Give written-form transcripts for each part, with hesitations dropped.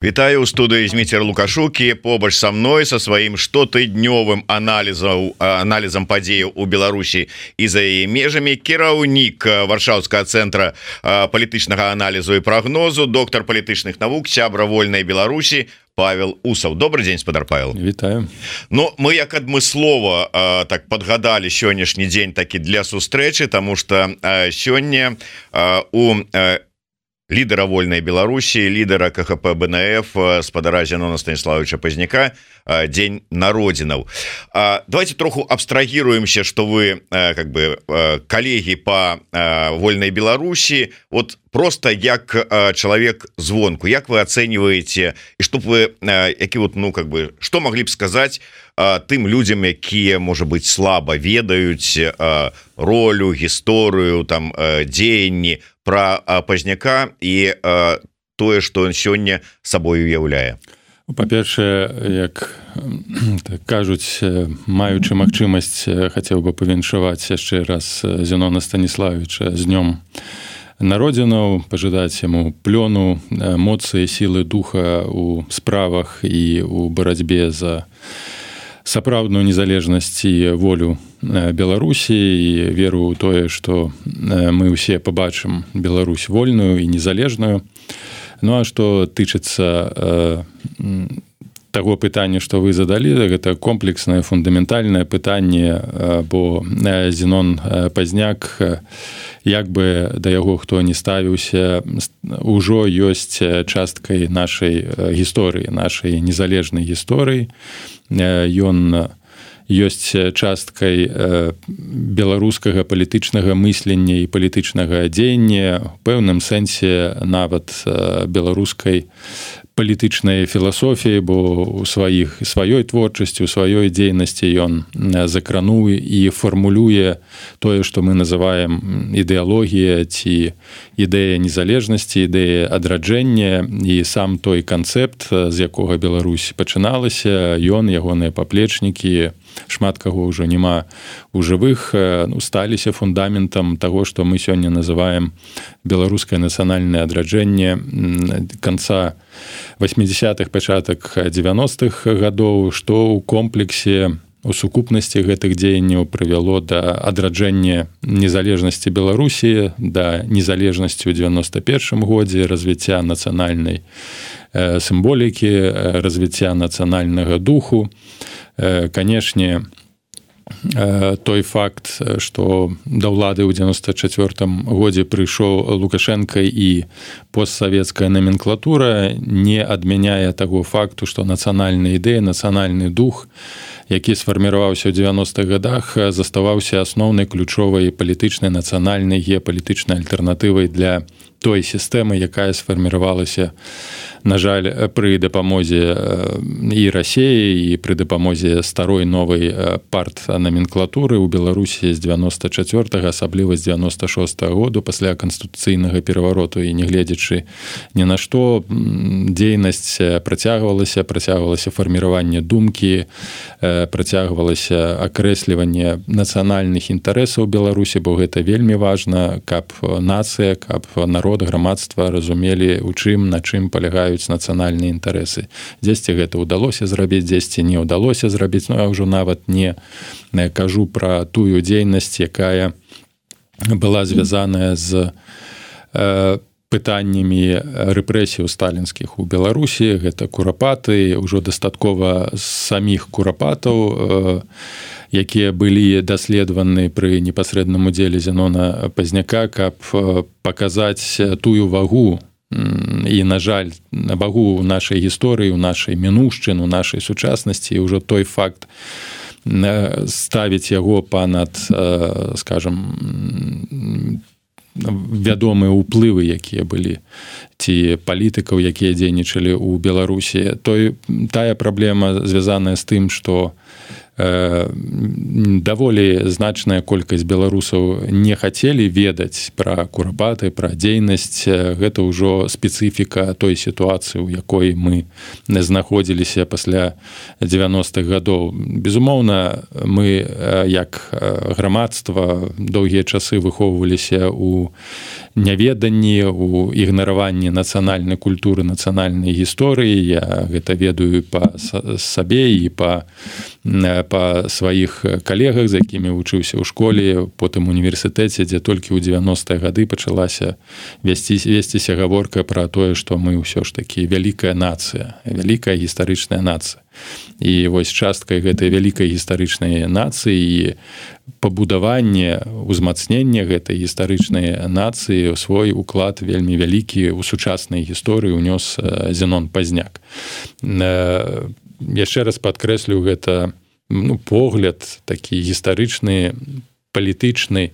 Вітаю ў студыі Зміцер Лукашукі, побач са мной са сваім штотыднёвым аналізам падзеяў у Беларусі і за яе межамі кіраўнік Варшаўскага цэнтра палітычнага аналізу і прагнозу, доктар палітычных навук, сябра вольнай Беларусі Павел Усаў. Добрый дзень, спадар Павел. Вітаю. Ну, мы як адмыслова так падгадалі сённяшні дзень такі для сустрэчы, таму што сёння у лідера вольнай Беларусі, лідера КХП БНФ, спадара Зенона Станіславовича Пазняка, дзень народзінаў. Давайте троху абстрагируемся, что вы как бы коллеги по вольной Беларусі, вот просто як человек звонку, як вы оцениваете, и чтоб вы які вот, ну как бы, что могли б сказать тым людям, якія, может быть, слабо ведаюць ролю, гісторыю, там дзеянні про Пазняка і тое, што ён сёння сабой уяўляе? Па-першае, як так кажуць, маючы магчымасць, хацеў бы павіншаваць яшчэ раз Зенона Станіславовича з днём народзінаў, пажадаць яму плёну, моцы, сілы духа ў справах і ў барацьбе за сапраўдную незалежнасць і волю Беларусі, і веру ў тое, што мы ўсе пабачым Беларусь вольную і незалежную. Ну а што тычыцца таго пытання, што вы задалі, гэта комплекснае, фундаментальнае пытанне, бо Зенон Пазняк, як бы да яго хто не ставіўся, ужо ёсць часткай нашай гісторыі, нашай незалежнай гісторыі. Ён ёсць часткай беларускага палітычнага мыслення і палітычнага дзеяння, у пэўным сэнсе нават беларускай палітычнай філасофіі, бо у сваёй творчасці, у сваёй дзейнасці ён закрануў і фармулюе тое, што мы называем ідэалогія ці ідэя незалежнасці, ідэя адраджэння, і сам той канцэпт, з якога Беларусь пачыналася, ён, ягоныя паплечнікі, шмат каго ўжо няма у жывых, сталіся фундаментам таго, што мы сёння называем беларускае нацыянальнае адраджэнне канца 80-х, пачатак 90-х гадоў, што ў комплексе, у сукупнасці гэтых дзеянняў прывяло да адраджэння незалежнасці Беларусі, да незалежнасці ў 91-м годзе, развіцця нацыянальнай сімволікі, развіцця нацыянальнага духу. Канешне, той факт, што да ўлады ў 94-м годзе прыйшоў Лукашенко і постсавецкая номенклатура, не адмяняе таго факту, што нацыянальная ідэя, нацыянальны дух, які сфарміраваўся ў 90-х годах, заставаўся асноўнай ключовай палітычнай, нацыянальнай, геапалітычнай альтэрнатывай для той сістэмы, якая сфарміравалася, на жаль, пры дапамозе і Расіі, і пры дапамозе старой новай партнаменклатуры ў Беларусі з 94-го, асабліва з 96-го году, пасля канстытуцыйнага перавароту, і не гледзячы ні на што, дзейнасць працягвалася фарміраванне думкі, працягвалася акрэсліванне нацыянальных інтарэсаў Беларусі, бо гэта вельмі важна, каб нацыя, каб народ, грамадства разумелі, у чым, на чым палягаюць нацыянальныя інтарэсы. Дзесьці гэта ўдалося зрабіць, дзесьці не ўдалося зрабіць, но я ўжо нават не кажу пра тую дзейнасць, якая была звязаная з пытаннямі рэпрэсіяў сталінскіх у Беларусі. Гэта курапаты, ўжо дастаткова саміх курапатаў, якія былі даследаваны пры непасрэдным удзеле Зенона Пазняка, каб паказаць тую вагу і, на жаль, вагу ў нашай гісторыі, у нашай мінушчыны, у нашай сучаснасці, і ўжо той факт ставіць яго панад, скажам, вядомыя ўплывы, якія былі, ці палітыкаў, якія дзейнічалі ў Беларусі. Тая праблема звязаная з тым, што даволі значная колькасць беларусаў не хацелі ведаць пра курапаты, пра дзейнасць. Гэта ўжо спецыфіка той сітуацыі, у якой мы знаходзіліся пасля 90-х гадоў. Безумоўна, мы, як грамадства, доўгія часы выхоўваліся ў няведанні, у ігнараванні пытанні нацыянальнай культуры, нацыянальнай гісторыі. Я гэта ведаю па сабе і па сваіх калегах, з якімі вучыўся ў школе, потым універсітэце, дзе толькі ў 90-е гады пачалася весціся гаворка пра тое, што мы ўсё ж такі вялікая нацыя, вялікая гістарычная нацыя. І вось часткай гэтай вялікай гістарычнай нацыі і пабудаванне, узмацненне гэтай гістарычнай нацыі свой уклад вельмі вялікі ў сучаснай гісторыі ўнёс Зенон Пазняк. Яшчэ раз падкрэслю, гэта погляд такі гістарычны, палітычны.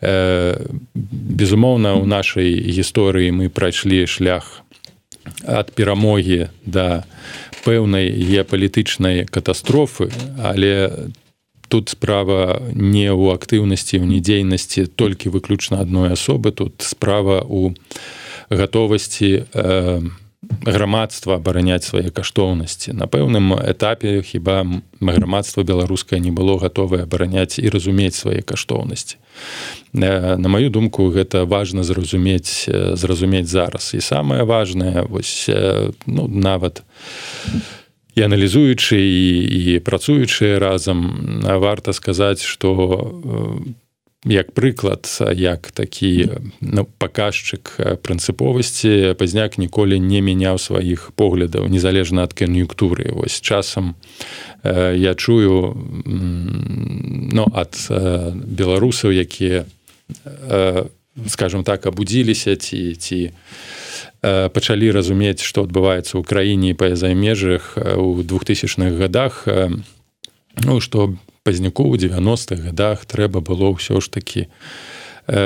Безумоўна, у нашай гісторыі мы прайшлі шлях ад перамогі да пэўнай геапалітычнай катастрофы, але тут справа не ў актыўнасці, ў недзейнасці толькі выключна адной асобы, тут справа ў гатовасці грамадства абараняць свае каштоўнасці. На пэўным этапе хіба грамадства беларускае не было гатовае абараняць і разумець свае каштоўнасці. На маю думку, гэта важна зразумець зараз. І самае важнае, вось, нават і аналізуючы і працуючы разам, варта сказаць, што як прыклад, як такі паказчык прынцыповасці, Пазняк ніколі не мяняў сваіх поглядаў, незалежна ад кан'юнктуры. Вось часам я чую ад беларусаў, якія, скажем так, абудзіліся ці пачалі разумець, што адбываецца ў краіне і па-за межах у 2000-х гадах, што Пазняку ў 90-х гадах трэба было ўсё ж такі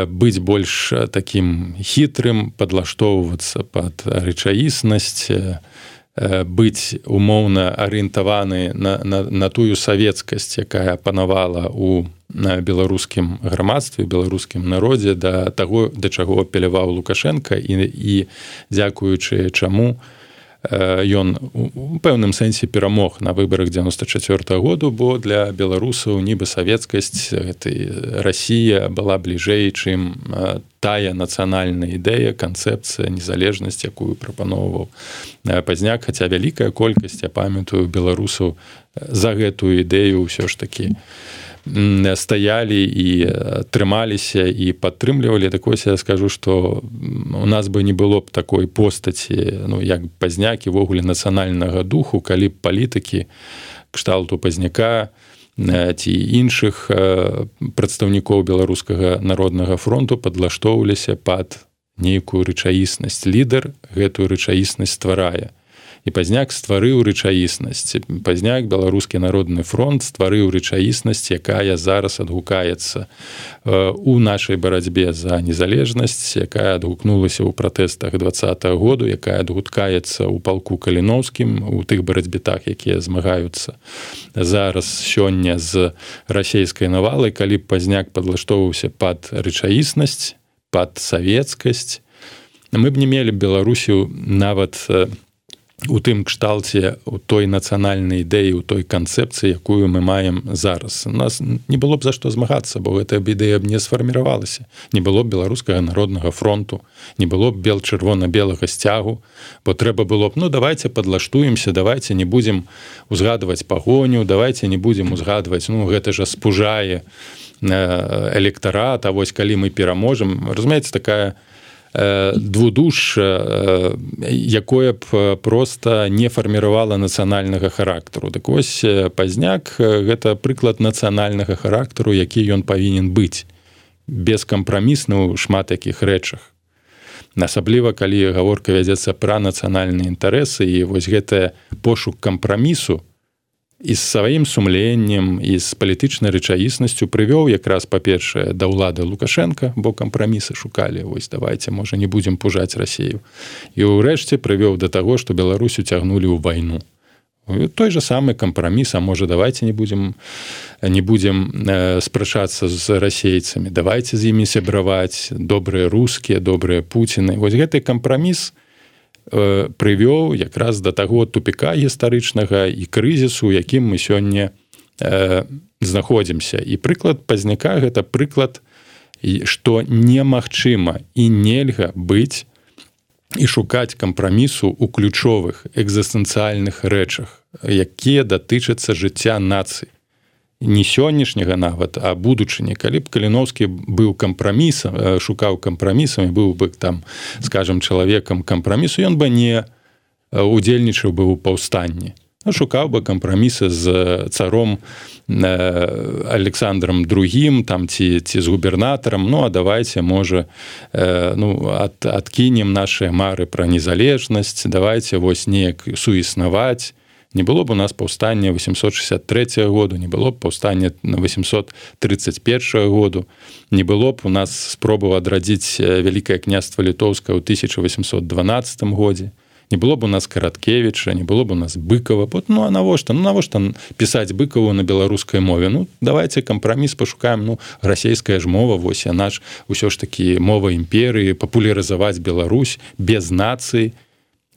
быць больш такім хітрым, падлаштоўвацца пад рэчаіснасць, быць умоўна арыентаваны на тую савецкасць, якая панавала ў беларускім грамадстве, беларускім народзе, да таго, да чаго апеляваў Лукашенка, і дзякуючы чаму ён у пэўным сэнсе перамог на выбарах 94-го году, бо для беларусаў нібы савецкасць, гэтай Расія была бліжэй, чым тая нацыянальная ідэя, канцэпцыя, незалежнасць, якую прапаноўваў Пазняк, хаця вялікая колькасць, я памятаю, беларусаў за гэтую ідэю ўсё ж такі стаялі і трымаліся і падтрымлівалі. Так вось я скажу, што у нас бы не было б такой постаці, як Пазняк, і ввогуле нацыянальнага духу, калі б палітыкі кшталту Пазняка ці іншых прадстаўнікоў беларускага народнага фронту падлаштоўваліся пад нейкую рэчаіснасць. Лідар гэтую рэчаіснасць стварае. І Пазняк стварыў рэчаіснасць. Пазняк, Беларускі народны фронт, стварыў рэчаіснасць, якая зараз адгукаецца у нашай барацьбе за незалежнасць, якая адгукнулася ў пратэстах 20-го году, якая адгукаецца ў палку Каліноўскім, у тых барацьбітах, якія змагаюцца зараз сёння з расейскай навалай. Калі б Пазняк падлаштоўваўся пад рэчаіснасць, пад савецкасць, мы б не мелі Беларусію нават у тым кшталце, у той нацыянальнай ідэі, у той канцэпцыі, якую мы маем зараз. У нас не было б за што змагацца, бо гэтая ідэя б не сфарміравалася. Не было б Беларускага народнага фронту, не было б чырвона-белага сцягу, бо трэба было б, давайце падлаштуемся, давайце не будзем узгадваць пагоню, давайце не будзем узгадваць, гэта жа спужае электарат, а вось калі мы пераможам. Разумееце, такая двудуш, якое б проста не фарміравала нацыянальнага характару. Так вось Пазняк гэта прыклад нацыянальнага характару, які ён павінен быць, бескампрамісны ў шмат якіх рэчах. Асабліва, калі гаворка вядзецца пра нацыянальныя інтарэсы, і вось гэта пошук кампрамісу і з сваім сумленнем, і з палітычнай рэчаіснасцю прывёў якраз, па-першае, да ўлады Лукашенка, бо кампрамісы шукалі, вось давайце, можа, не будзем пужаць Расію. І ўрэшце прывёў да таго, што Беларусь уцягнулі ў вайну. Той же самы кампраміс, а можа, давайце не будзем спрачацца з расейцамі, давайце з імі сябраваць, добрыя рускія, добрыя Пуціны. Вось гэты кампраміс прывёў якраз да таго тупіка гістарычнага і крызісу, у якім мы сёння знаходзімся. І прыклад Пазняка — гэта прыклад, што немагчыма і нельга быць і шукаць кампрамісу ў ключовых экзістэнцыяльных рэчах, якія датычацца жыцця нацыі. Не сённяшняга нават, а будучыні. Калі б Каліноўскі быў кампрамісам, шукаў кампрамісам і быў бы там, скажам, чалавекам кампрамісу, ён бы не удзельнічаў бы ў паўстанні. Шукаў бы кампрамісы з царом Александром II, там, ці з губернатарам, ну, а давайте, можа, адкінем нашыя мары пра незалежнасць, давайте вось неяк суіснаваць. Не было б у нас паўстання 863 году, не было б паўстання 831 году, не было б у нас спробаў адрадзіць Вялікае княства Літоўскае ў 1812 годзе. Не было б у нас Караткевіча, не было б у нас Быкова. Ну, а навошта? Ну, навошта пісаць Быкаву на беларускай мове? Ну, давайте кампраміс пашукаем. Ну, расійская ж мова, вось, яна ж усё ж такі мова імперыі, папулярызаваць Беларусь без нацыі,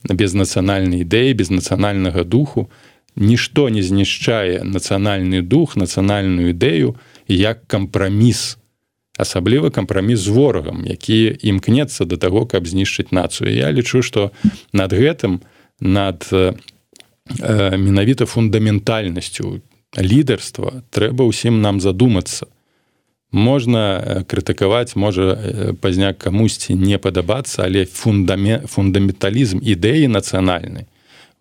без нацыянальнай ідэі, без нацыянальнага духу. Нішто не знішчае нацыянальны дух, нацыянальную ідэю, як кампраміс. Асабліва кампраміс з ворагам, які імкнецца да таго, каб знішчыць нацыю. Я лічу, што над гэтым, над менавіта фундаментальнасцю лідарства трэба ўсім нам задумацца. Можна крытыкаваць, можа пазняк камусьці не падабацца, але фундаменталізм ідэі нацыянальнай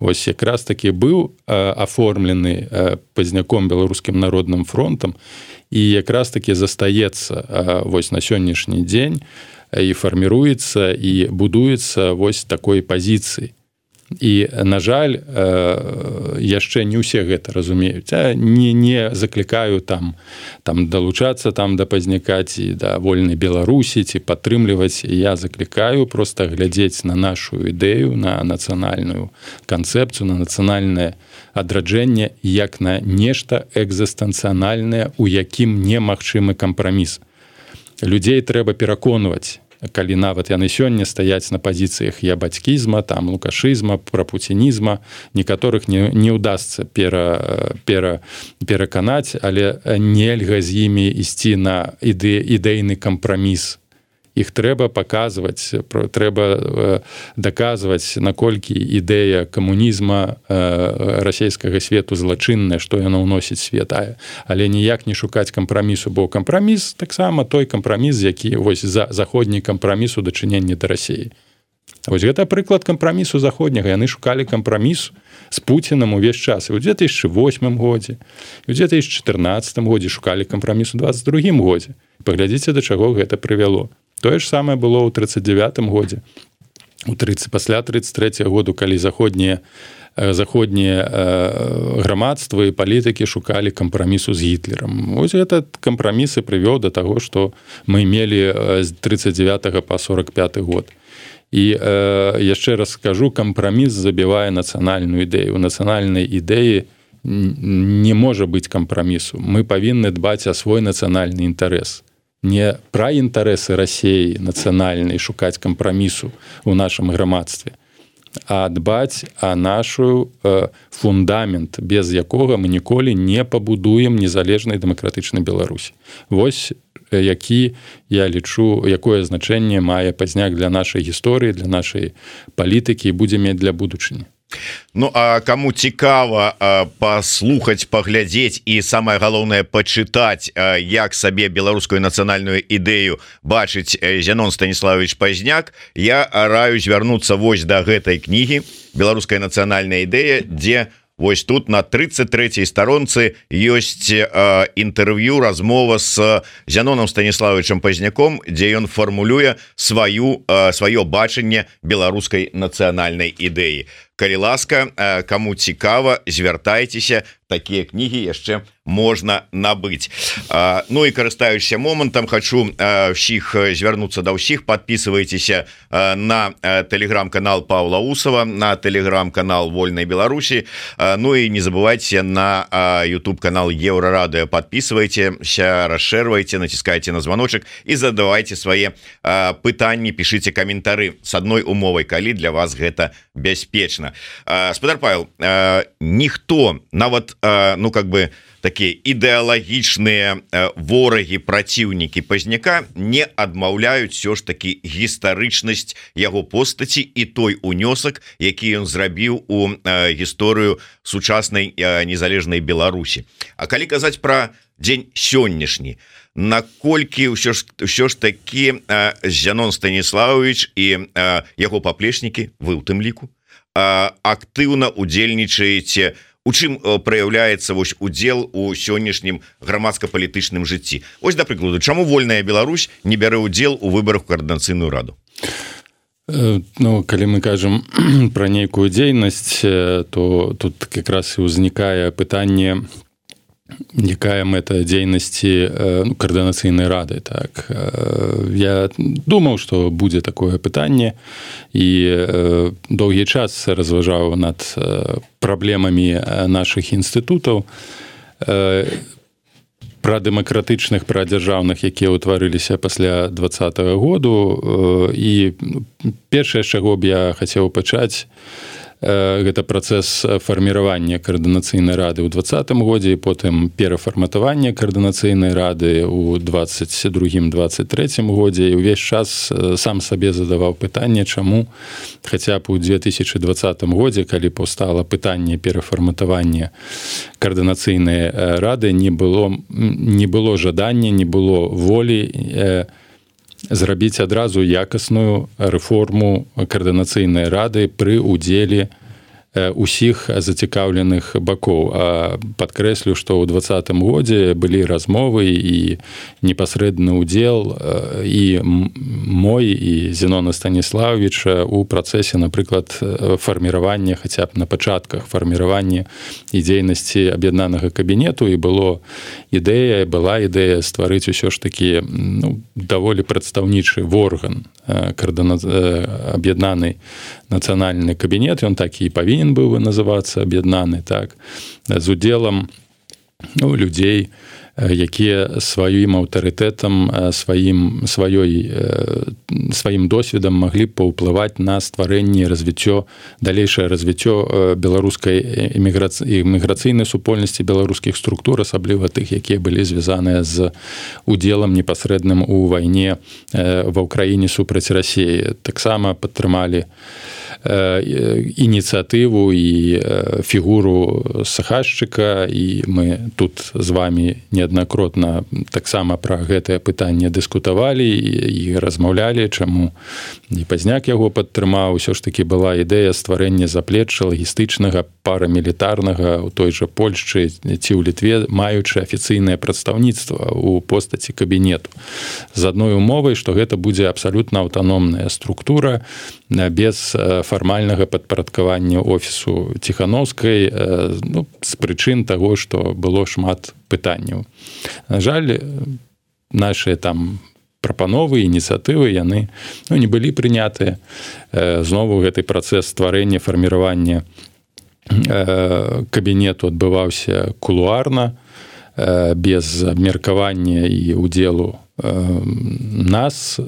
вось якраз такі быў аформлены пазняком Беларускім народным фронтам і якраз такі застаецца вось на сённяшні дзень і фарміруецца і будуецца вось такой пазіцыі. І, на жаль, яшчэ не ўсе гэта разумеюць. Не заклікаю там далучацца там да пазняка ці да вольнай Беларусі ці падтрымліваць. Я заклікаю проста глядзець на нашу ідэю, на нацыянальную канцэпцыю, на нацыянальнае адраджэнне як на нешта экзістэнцыянальнае, у якім немагчымы кампраміс. Людзей трэба пераконваць, калі нават яны сёння стаяць на пазіцыях ябацькізма, там лукашызма, прапуцінізма, некаторых не ўдасца пераканаць, але нельга з імі ісці на ідэйны кампраміс. Іх трэба паказваць, трэба даказваць, наколькі ідэя камунізма расійскага свету злачынная, што яна ўносіць свет, але ніяк не шукаць кампрамісу, бо кампраміс таксама той кампраміс, які вось заходні кампраміс у дачыненні да Расіі. Вось гэта прыклад кампрамісу заходняга. Яны шукалі кампраміс з Пуцінам увесь час. І ў 2008 годзе, і ў 2014 годзе шукалі кампраміс у 2022 годзе. Паглядзіце, да чаго гэта прывяло. Тое ж самае было ў 1939 годзе. Пасля 1933 году, калі заходнія грамадства і палітыкі шукалі кампрамісу з Гітлерам. Вось этот кампраміс і прывёў да таго, што мы мелі з 1939 па 1945 год. І яшчэ раз скажу, кампраміс забівае нацыянальную ідэю. У нацыянальнай ідэі не можа быць кампрамісу. Мы павінны дбаць о свой нацыянальны інтарэс. Не пра інтарэсы Расіі нацыянальнай шукаць кампрамісу ў нашым грамадстве, а дбаць о нашу фундамент, без якога мы ніколі не пабудуем незалежнай дэмакратычнай Беларусі. Вось які, я лічу, якое значэнне мае пазняк для нашай гісторыі, для нашай палітыкі і будзе мець для будучыні. Ну, а кому цікава паслухаць, паглядзець і самае галоўнае пачытаць, як сабе беларускую нацыянальную ідэю бачыць Зянон Станіславович Пазняк, я раю звярнуцца вось да гэтай кнігі «Беларуская нацыянальная ідэя», дзе вось тут на 33-й старонцы ёсць інтэрв'ю, размова з Зяноном Станіславовичем Пазняком, дзе ён фармулюе сваё бачанне беларускай нацыянальнай ідэі. Калі ласка, каму цікава, звяртайцеся, такія кнігі яшчэ можна набыць. Ну і карыстаючыся момантам, хачу ўсіх звярнуцца да ўсіх. Подписывайтеся на телеграм-канал Павла Усова, на телеграм-канал Вольной Беларусі. Ну і не забывайте на YouTube-канал Еврорадио. Подписывайтеся, расширвайте, натискайте на звоночек і задавайте свае пытанні, пишите каментары с одной умовай, калі для вас гэта бяспечна. правильно. Спадар Павел, ніхто нават ну как бы такія ідэалагічныя ворагі, праціўнікі Пазняка не адмаўляюць все ж таки гістарычнасць яго постаці і той унёсак, які ён зрабіў у гісторыю сучаснай незалежнай Беларусі. А калі казаць пра дзень сённяшні, наколькі ўсё ж такі Зянон Станіславович і яго паплечнікі, вы ў тым ліку, актыўна удзельнічаеце, у чым праяўляецца вось удзел у сённяшнім грамадска-палітычным жыцці? Вось, да прыкладу, чаму вольная Беларусь не бярэ ўдзел у выбарах у каардынацыйную раду? Ну, калі мы кажам пра нейкую дзейнасць, то тут как раз і ўзнікае пытанне, якая мэта дзейнасці каардынацыйнай рады. Так. Я думаў, што будзе такое пытанне і доўгі час разважаў над праблемамі нашых інстытутаў, пра дэмакратычных, пра дзяржаўных, якія ўтварыліся пасля 2020 году. І першае, з чаго б я хацеў пачаць, гэта працэс фарміравання каардынацыйнай рады ў 2020 годзе і потым перафарматавання каардынацыйнай рады ў 2022-2023 годзе. І ўвесь час сам сабе задаваў пытанне, чаму хаця б у 2020 годзе, калі паўстала пытанне перафарматавання каардынацыйнай рады, не было жадання, не было волі зрабіць адразу якасную рэформу каардынацыйнай рады пры ўдзеле усіх зацікаўленых бакоў. Падкрэслю, што ў 2020 годзе былі размовы і непасрэдны ўдзел і мой, і Зянона Станіславовича ў працэсе, напрыклад, фарміравання, хаця б на пачатках фарміравання і дзейнасці аб'яднанага кабінету, і была ідэя стварыць усё ж такі даволі прадстаўнічы орган аб'яднаны нацыянальны кабінет, ён так і павінен быў называцца аб'яднаны, так, з удзелам людзей, якія сваім аўтарытэтам, сваім досведам маглі б паўплываць на стварэнне і далейшае развіццё беларускай іміграцыйнай супольнасці, беларускіх структур, асабліва тых, якія былі звязаныя з удзелам непасрэдным у вайне ва ўкраіне супраць Расіі. Таксама падтрымалі ініцыятыву і фігуру Сахашчыка, і мы тут з вами неаднакротна таксама пра гэтае пытанне дыскутавалі і размаўлялі, чаму і Пазняк яго падтрымаў. Усё ж такі была ідэя стварэння заплечча лагістычнага, парамілітарнага ў той жа Польшчы ці ў Літве, маючы афіцыйнае прадстаўніцтва ў постаці кабінету. З адной умовай, што гэта будзе абсалютна аўтаномная структура, без фармальнага падпарадкавання офісу Ціхановскай, з прычын таго, што было шмат пытанняў. На жаль, нашыя там прапановы, ініцыятывы, яны не былі прынятыя. Знову гэты працэс стварэння, фарміравання кабінету адбываўся кулуарна, без абмеркавання і ўдзелу нас,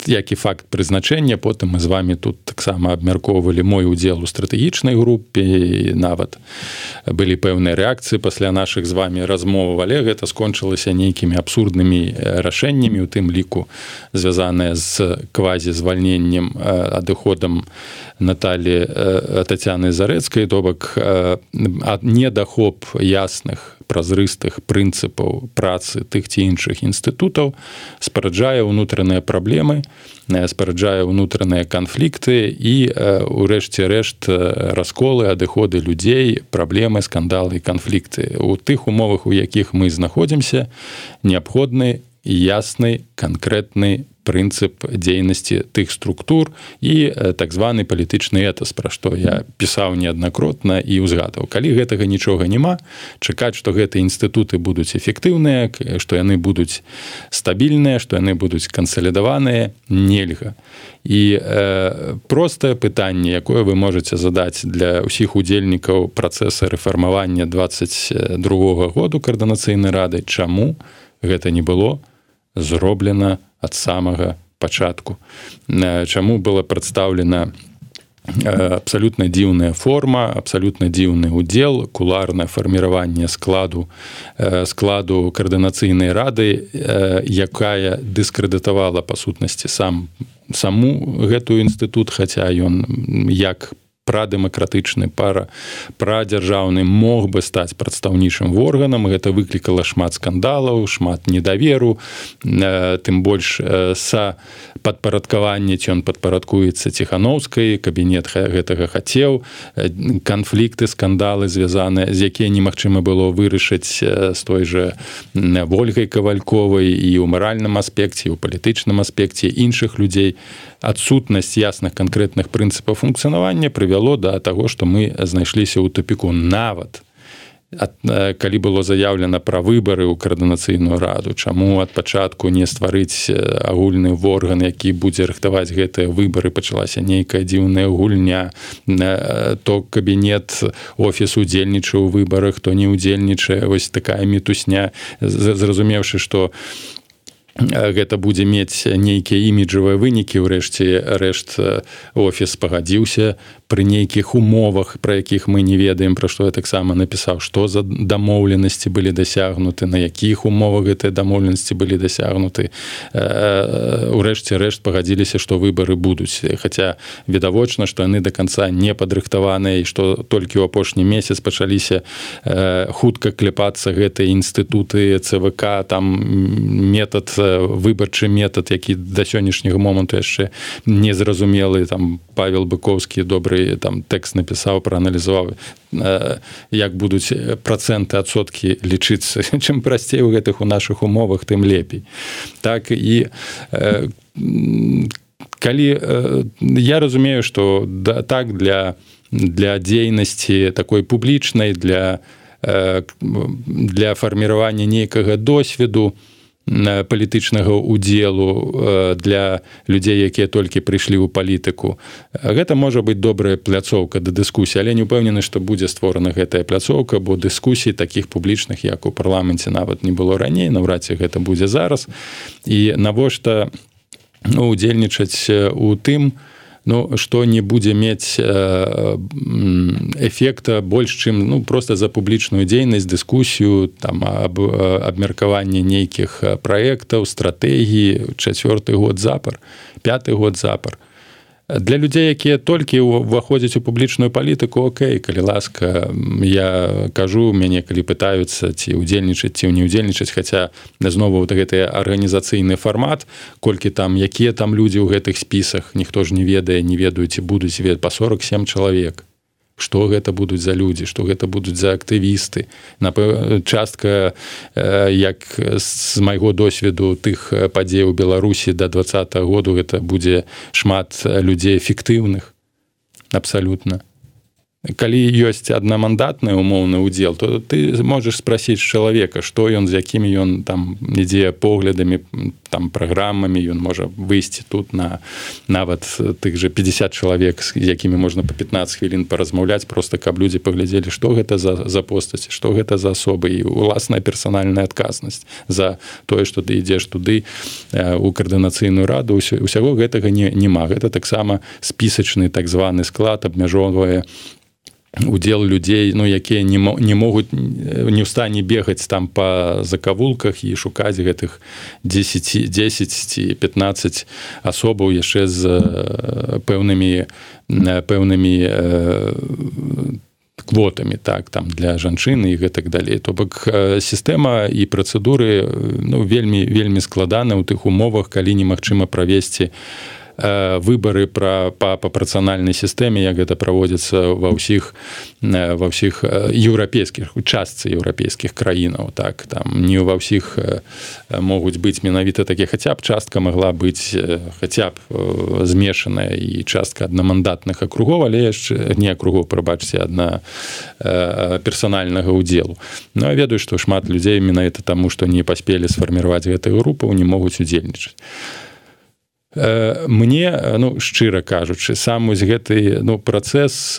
як і факт прызначэння. Потым мы з вами тут таксама абмяркоўвалі мой удзел у стратэгічнай групе, і нават былі пэўныя рэакцыі пасля нашых з вами размоў, але гэта скончылася нейкімі абсурднымі рашэннямі, у тым ліку звязаныя з квазізвальненнем, адыходам Наталі Тацяны Зарэцкай, то бок недахоп ясных, празрыстых прынцыпаў працы тых ці іншых інстытутаў спараджае ўнутраныя праблемы, спараджае ўнутраныя канфлікты і, урэшце рэшт, расколы, адыходы людзей, праблемы, скандалы і канфлікты. У тых умовах, у якіх мы знаходзімся, неабходны ясны, канкрэтны прынцып дзейнасці тых структур і так званы палітычны этас, пра што я пісаў неаднакротна і ўзгадаў. Калі гэтага нічога няма, чакаць, што гэтыя інстытуты будуць эфектыўныя, што яны будуць стабільныя, што яны будуць кансалідаваныя, нельга. І простае пытанне, якое вы можаце задаць для ўсіх удзельнікаў працэса рэфармавання 22 году каардынацыйнай рады, чаму гэта не было зроблена ад самага пачатку. Чаму была прадстаўлена абсолютно дзіўная форма, абсолютно дзіўны удзел, куларнае фарміраванне складу каардынацыйнай рады, якая дыскрэдытавала па сутнасці саму гэтую інстытут, хаця ён як прадэмакратычны, прадзяржаўны мог бы стаць прадстаўнічым органам. Гэта выклікала шмат скандалаў, шмат недаверу, тым больш падпарадкаванне, ці ён падпарадкуецца Ціханаўскай, кабінет гэтага хацеў, канфлікты, скандалы звязаныя, з якія немагчыма было вырашыць з той жа Вольгай Кавальковай і ў маральным аспекце, і ў палітычным аспекце іншых людзей. Адсутнасць ясных канкрэтных прынцыпаў функцыянавання прывяло да таго, што мы знайшліся ў тупіку. Нават калі было заяўлена пра выбары ў каардынацыйную раду, чаму ад пачатку не стварыць агульны орган, які будзе рыхтаваць гэтыя выбары, пачалася нейкая дзіўная гульня, то кабінет, офіс удзельнічае ў выбарах, то не ўдзельнічае, вось такая мітусня, зразумеўшы, што гэта будзе мець нейкія іміджавыя вынікі, ўрэшце рэшт офіс пагадзіўся пры нейкіх умовах, пра якіх мы не ведаем, пра што я таксама напісаў, што за дамоўленасці былі дасягнуты, на якіх умовах гэтыя дамоўленасці былі дасягнуты. Урэшце рэшт пагадзіліся, што выбары будуць, хаця відавочна, што яны да канца не падрыхтаваныя, і што толькі ў апошні месяц пачаліся хутка кляпацца гэтыя інстытуты ЦВК, там выбарчы метад, які да сённяшняга моманту яшчэ незразумелы. Там Павел Быкоўскі добры там тэкст напісаў, прааналізаваў, як будуць працэнты, адсоткі лічыцца. Чым прасцей у гэтых у нашых умовах, тым лепей. Так, і калі я разумею, што так для дзейнасці такой публічнай, для фарміравання нейкага досведу, палітычнага удзелу для людзей, якія толькі прыйшлі ў палітыку. Гэта можа быць добрая пляцоўка да дыскусіі, але не ўпэўнены, што будзе створана гэтая пляцоўка, бо дыскусій такіх публічных, як у парламенце, нават не было раней, наўрад ці гэта будзе зараз. І навошта удзельнічаць у тым, што не будзе мець эфекта больш, чым проста за публічную дзейнасць, дыскусію, абмеркаванне нейкіх праектаў, стратэгій, 4-й год запар, 5-й год запар. Для людзей, якія толькі ўваходзяць у публічную палітыку, окей, калі ласка, я кажу, мяне калі пытаюцца, ці ўдзельнічаць, ці не ўдзельнічаць, хаця знову гэты арганізацыйны фармат, колькі там, якія там людзі ў гэтых спісах, ніхто ж не ведаюць, ці будуць па 47 чалавек. Што гэта будуць за людзі, што гэта будуць за актывісты. Частка, як з майго досведу тых падзей у Беларусі да 2020 году, гэта будзе шмат людзей фіктыўных, абсалютна. Калі ёсць аднамандатны умоўны ўдзел, то ты можаш спрасіць чалавека, што ён, з якімі ён там ідзе поглядамі, там праграмамі, ён можа выйсці тут на нават тых жа 50 чалавек, з якімі можна па 15 хвілін паразмаўляць, проста каб людзі паглядзелі, што гэта за постаці, што гэта за асобы, і уласная персанальная адказнасць за тое, што ты ідзеш туды у каардынацыйную раду. Усяго гэтага няма. Гэта таксама спісачны так званы склад абмяжоўвае удзел людзей, якія не могуць, не ў стане бегаць там па закавулках і шукаць гэтых 10 ці 15 асобаў яшчэ з пэўнымі квотамі, так, там для жанчын і гэтак далей. То бок сістэма і працэдуры вельмі складаны ў тых умовах, калі немагчыма правесці выбары па прапарцыянальнай сістэме, як гэта праводзіцца ва ўсіх еўрапейскіх, у частцы еўрапейскіх краінаў. Так, там не ва ўсіх могуць быць менавіта такія, хаця б частка магла быць хаця б змешаная і частка аднамандатных акругоў, але яшчэ не акругоў, прабачце, адна персанальнага ўдзелу. Я ведаю, што шмат людзей менавіта таму, што не паспелі сфарміраваць гэтых групаў, не могуць удзельнічаць. Мне, шчыра кажучы, сам вось гэты працэс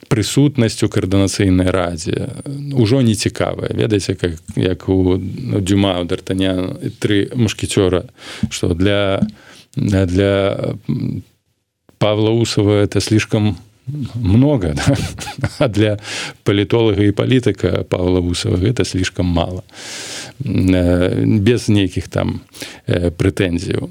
прысутнасць у каардынацыйнай радзе ўжо не цікавая. Ведаеце, як у Дюма, у Д'Артаняна, 3 мушкецёра, што для Павла Усова это слишком много, да? А для политолога и политика Павла Усова это слишком мало. Без нейкіх там прэтэнзіяў.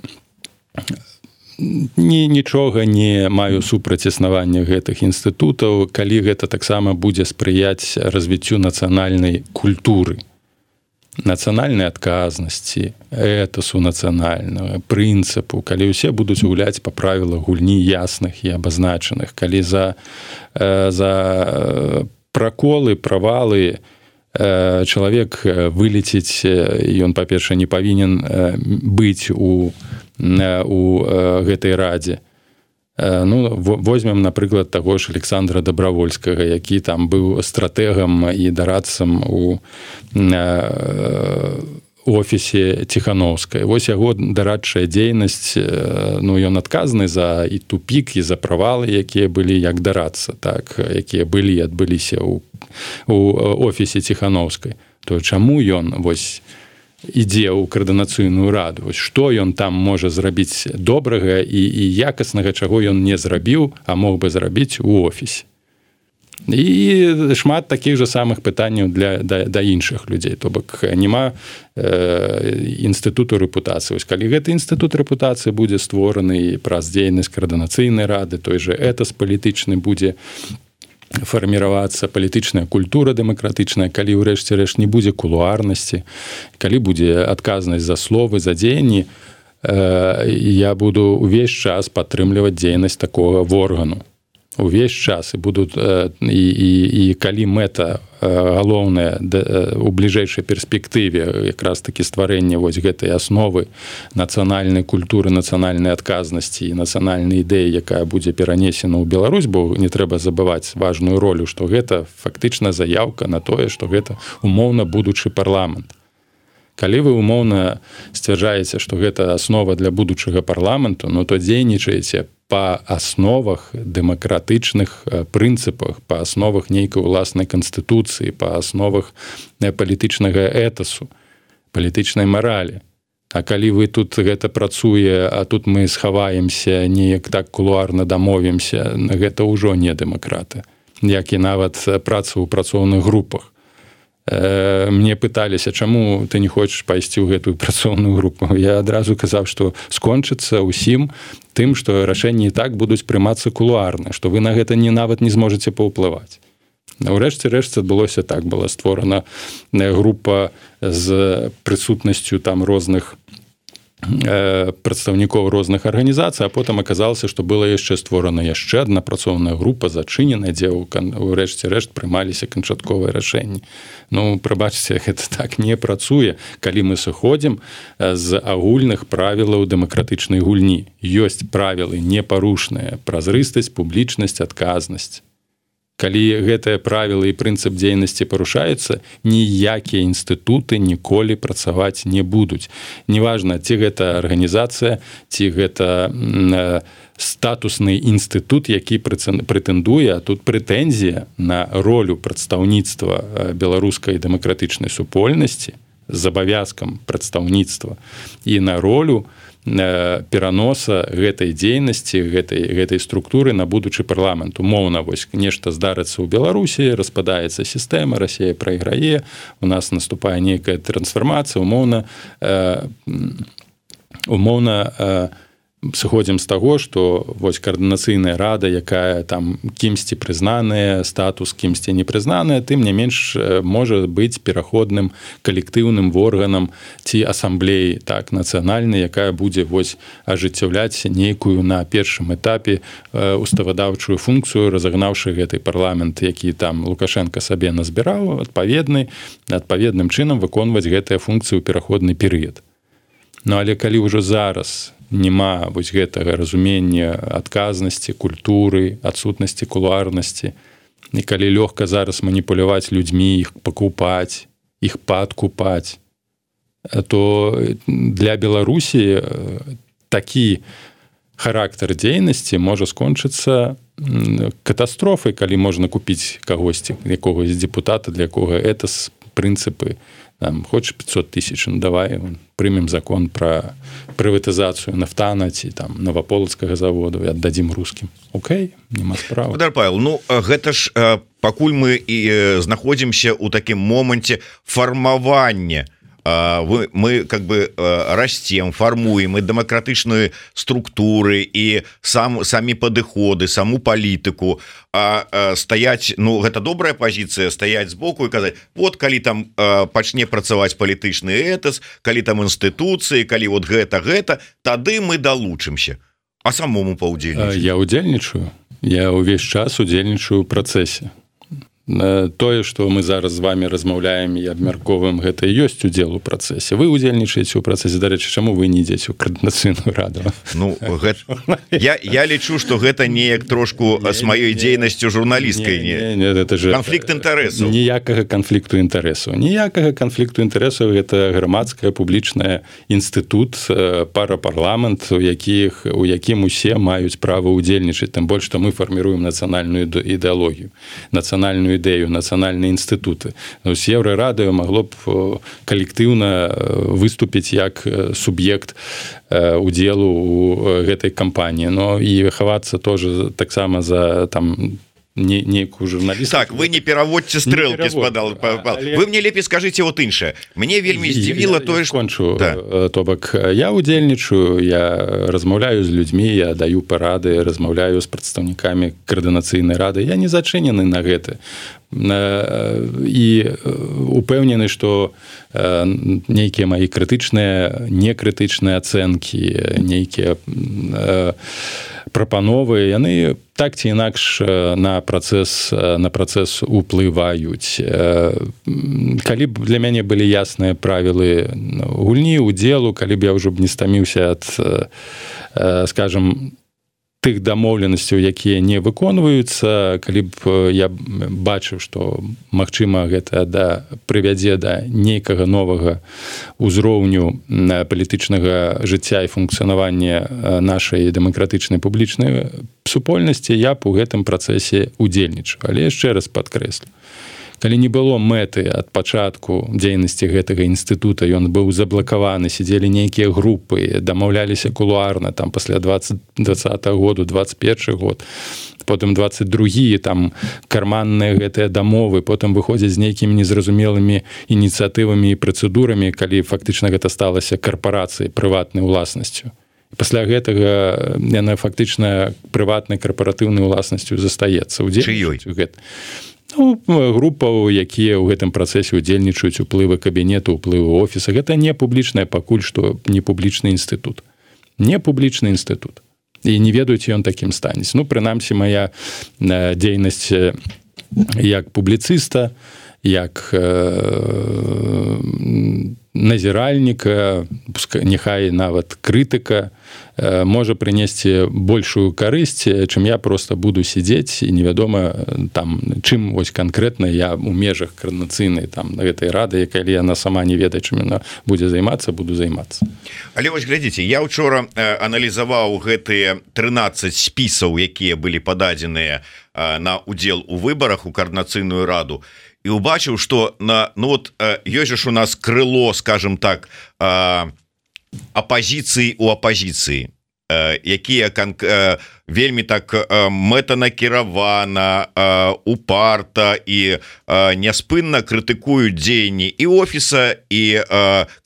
Нічога не маю супраць існавання гэтых інстытутаў, калі гэта таксама будзе спрыяць развіццю нацыянальнай культуры, нацыянальнай адказнасці, этасу нацыянальнага, прынцыпу, калі ўсе будуць гуляць па правілах гульні ясных і абазначаных, калі за праколы, правалы чалавек вылеціць, ён, па-перша, не павінен быць у гэтай радзе. Возьмем, напрыклад, таго ж Александра Добравольскага, які там быў стратэгам і дарадцам у офісе Ціхановскай. Вось яго дарадчая дзейнасць, ён адказны за і тупік, і за правалы, якія былі як дарадца, так, якія былі, адбыліся у офісе Ціхановскай. То чаму ён вось ідзе ў каардынацыйную раду? Вось што ён там можа зрабіць добрага і якаснага, чаго ён не зрабіў, а мог бы зрабіць у офісе? І шмат такіх жа самых пытанняў да іншых людзей. То бок няма інстытуту рэпутацыі. Вось калі гэты інстытут рэпутацыі будзе створаны праз дзейнасць каардынацыйнай рады, той же этас палітычны будзе фарміравацца, палітычная культура дэмакратычная, калі ўрэшце рэшт не будзе кулуарнасці, калі будзе адказнасць за словы, за дзеянні, я буду ўвесь час падтрымліваць дзейнасць такога органу. Увесь час і будуць і калі мэта галоўная у бліжэйшай перспектыве якраз такі стварэнне вось гэтай асновы нацыянальнай культуры, нацыянальнай адказнасці і нацыянальнай ідэі, якая будзе перанесена ў Беларусь, бо не трэба забываць важную ролю, што гэта фактычна заяўка на тое, што гэта умоўна будучы парламент. Калі вы умоўна сцвярджаеце, што гэта аснова для будучага парламенту, то дзейнічаеце па асновах дэмакратычных прынцыпах, па асновах нейкай уласнай канстытуцыі, па асновах палітычнага этасу, палітычнай маралі. А калі вы тут гэта працуе, а тут мы схаваемся, неяк так кулуарна дамовімся, гэта ўжо не дэмакраты, як і нават праца ў працоўных групах. Мне пыталіся, чаму ты не хочаш пайсці ў гэтую працоўную групу. Я адразу казаў, што скончыцца ўсім тым, што рашэнні і так будуць прымацца кулуарна, што вы на гэта нават не зможаце паўплываць. Урэшце рэшт адбылося так, была створана група з прысутнасцю там розных прадстаўнікоў розных арганізацый, а потым аказалася, што была яшчэ створана яшчэ адна працоўная група, зачыненая, дзе ўрэшце рэшт прымаліся канчатковыя рашэнні. Прабачце, гэта так не працуе, калі мы сыходзім з агульных правілаў дэмакратычнай гульні. Ёсць правілы непарушныя: празрыстасць, публічнасць, адказнасць. Калі гэтыя правілы і прынцып дзейнасці парушаюцца, ніякія інстытуты ніколі працаваць не будуць. Неважна, ці гэта арганізацыя, ці гэта статусны інстытут, які прэтэндуе, а тут прэтэнзія на ролю прадстаўніцтва беларускай дэмакратычнай супольнасці з абавязкам прадстаўніцтва і на ролю пераноса гэтай дзейнасці, гэтай структуры на будучы парламент. Умоўна, вось нешта здарыцца ў Беларусі, распадаецца сістэма, Расія прайграе, у нас наступае нейкая трансфармацыя, умоўна сыходзім з таго, што вось каардынацыйная рада, якая там кімсьці прызнаная, статус кімсьці не прызнаная, тым не менш можа быць пераходным калектыўным органам ці асамблеі, так, нацыянальнай, якая будзе вось ажыццяўляць нейкую на першым этапе уставадаўчую функцыю, разагнаўшы гэты парламент, які там Лукашенко сабе назбіраў, адпаведным чынам выконваць гэтыя функцыі ў пераходны перыяд. Але калі ўжо зараз няма вось гэтага разумення адказнасці, культуры, адсутнасці кулуарнасці, і калі лёгка зараз маніпуляваць людзьмі, іх пакупаць, іх падкупаць, то для Беларусі такі характар дзейнасці можа скончыцца катастрофай, калі можна купіць кагосьці, якогось депутата, для якога этас прынцыпы, хочаш 500 тысяч, ну давай прымем закон пра прыватызацыю нафтана ці там Новополацкага заводу і аддадзім рускім. Окей, нема справы. Владимир Павел, ну гэта ж пакуль мы і знаходзімся ў такім моманце фармавання, мы как бы растем, формуем и демократичные структуры, и самі падыходы, саму палітыку, стаять, ну гэта добрая позиция, стаять сбоку и казать, вот калі там пачне працаваць палітычны этас, калі там інстытуцыі, калі вот гэта, тады мы далучымся. А самому паўдзельнічаць? Я удзельнічаю, я ўвесь час удзельнічаю ў працэсе. Тое, што мы зараз з вами размаўляем і абмярковаем, гэта і ёсць удзел у працэсе. Вы удзельнічаеце ў працэсе. Дарэчы, чаму вы не ідзеце ў Координацыйную раду? Ну, я лічу, што гэта неяк трошку з маёй дзейнасцю журналісткай. Канфлікт інтарэсаў. Ніякага канфлікту інтарэсаў. Ніякага канфлікту інтарэсаў. Гэта грамадская публічная інстытут, парапарламент, у якім усе маюць права удзельнічаць. Тым больш, што мы фарміруем нацыянальную ідэалогію, нацыянальную ідэю, нацыянальныя інстытуты. З Еўрарадыё магло б калектыўна выступіць як суб'ект удзелу ў гэтай кампаніі, но і хавацца тоже таксама за там нейкую журналістку. Так, вы не пераводьце стрэлкі, вы мне лепей скажыце вот іншае. Мне вельмі здзівіла тое, што... Кончу. То бок, я удзельнічаю, я размаўляю з людзьмі, я даю парады, размаўляю з прадстаўнікамі Координацыйнай рады. Я не зачынены на гэта. І упэўнены, што нейкія мои крытычныя, некрытычныя ацэнкі, нейкія прапановы, яны так ці інакш на працэс уплываюць. Калі б для мяне былі ясныя правілы гульні, удзелу, калі б я ўжо б не стаміўся ад, скажем, тых дамоўленасцяў, якія не выконваюцца, калі б я бачыў, што магчыма гэта прывядзе да нейкага новага ўзроўню палітычнага жыцця і функцыянавання нашай дэмакратычнай публічнай супольнасці, я б у гэтым працэсе удзельнічаў. Але яшчэ раз падкрэслю, калі не было мэты ад пачатку дзейнасці гэтага інстытута, ён быў заблакаваны, сидзелі нейкія групы, дамаўляліся кулуарна, там пасля 2020 году, 21 год, потым 22, там карманныя гэтыя дамовы, потым выходзяць з нейкімі незразумелымі ініцыятывамі і працэдурамі, калі фактычна гэта сталася карпарацыяй, прыватнай уласнасцю. Пасля гэтага яна фактычна прыватнай карпаратыўнай уласнасцю застаецца. Чыёй? Ну, групаў, якія ў гэтым працэсе удзельнічаюць, уплывы кабінету, уплывы офіса. Гэта не публічная, пакуль што не публічны інстытут. Не публічны інстытут. І не ведаюць ён такім станець. Ну, прынамсі, моя дзейнасць як публіцыста, як назіральніка, няхай нават крытыка, можа прынесці большую карысць, чым я просто буду сидзець і невядома там, чым вось канкрэтна я ў межах координацыйнай там гэтай рады, калі яна сама не ведае, чым яна будзе займацца, буду займацца. Але вось глядзіце, я ўчора аналізаваў гэтыя 13 спісаў, якія былі пададзеныя на удзел у выбарах у Координацыйную раду, і убачыў, што ёсць ж у нас крыло, скажем так, апозіцыі у апозіцыі, якія вельмі так мэтанакіравана, упарта і няспынна крытыкуюць дзеянні і офіса, і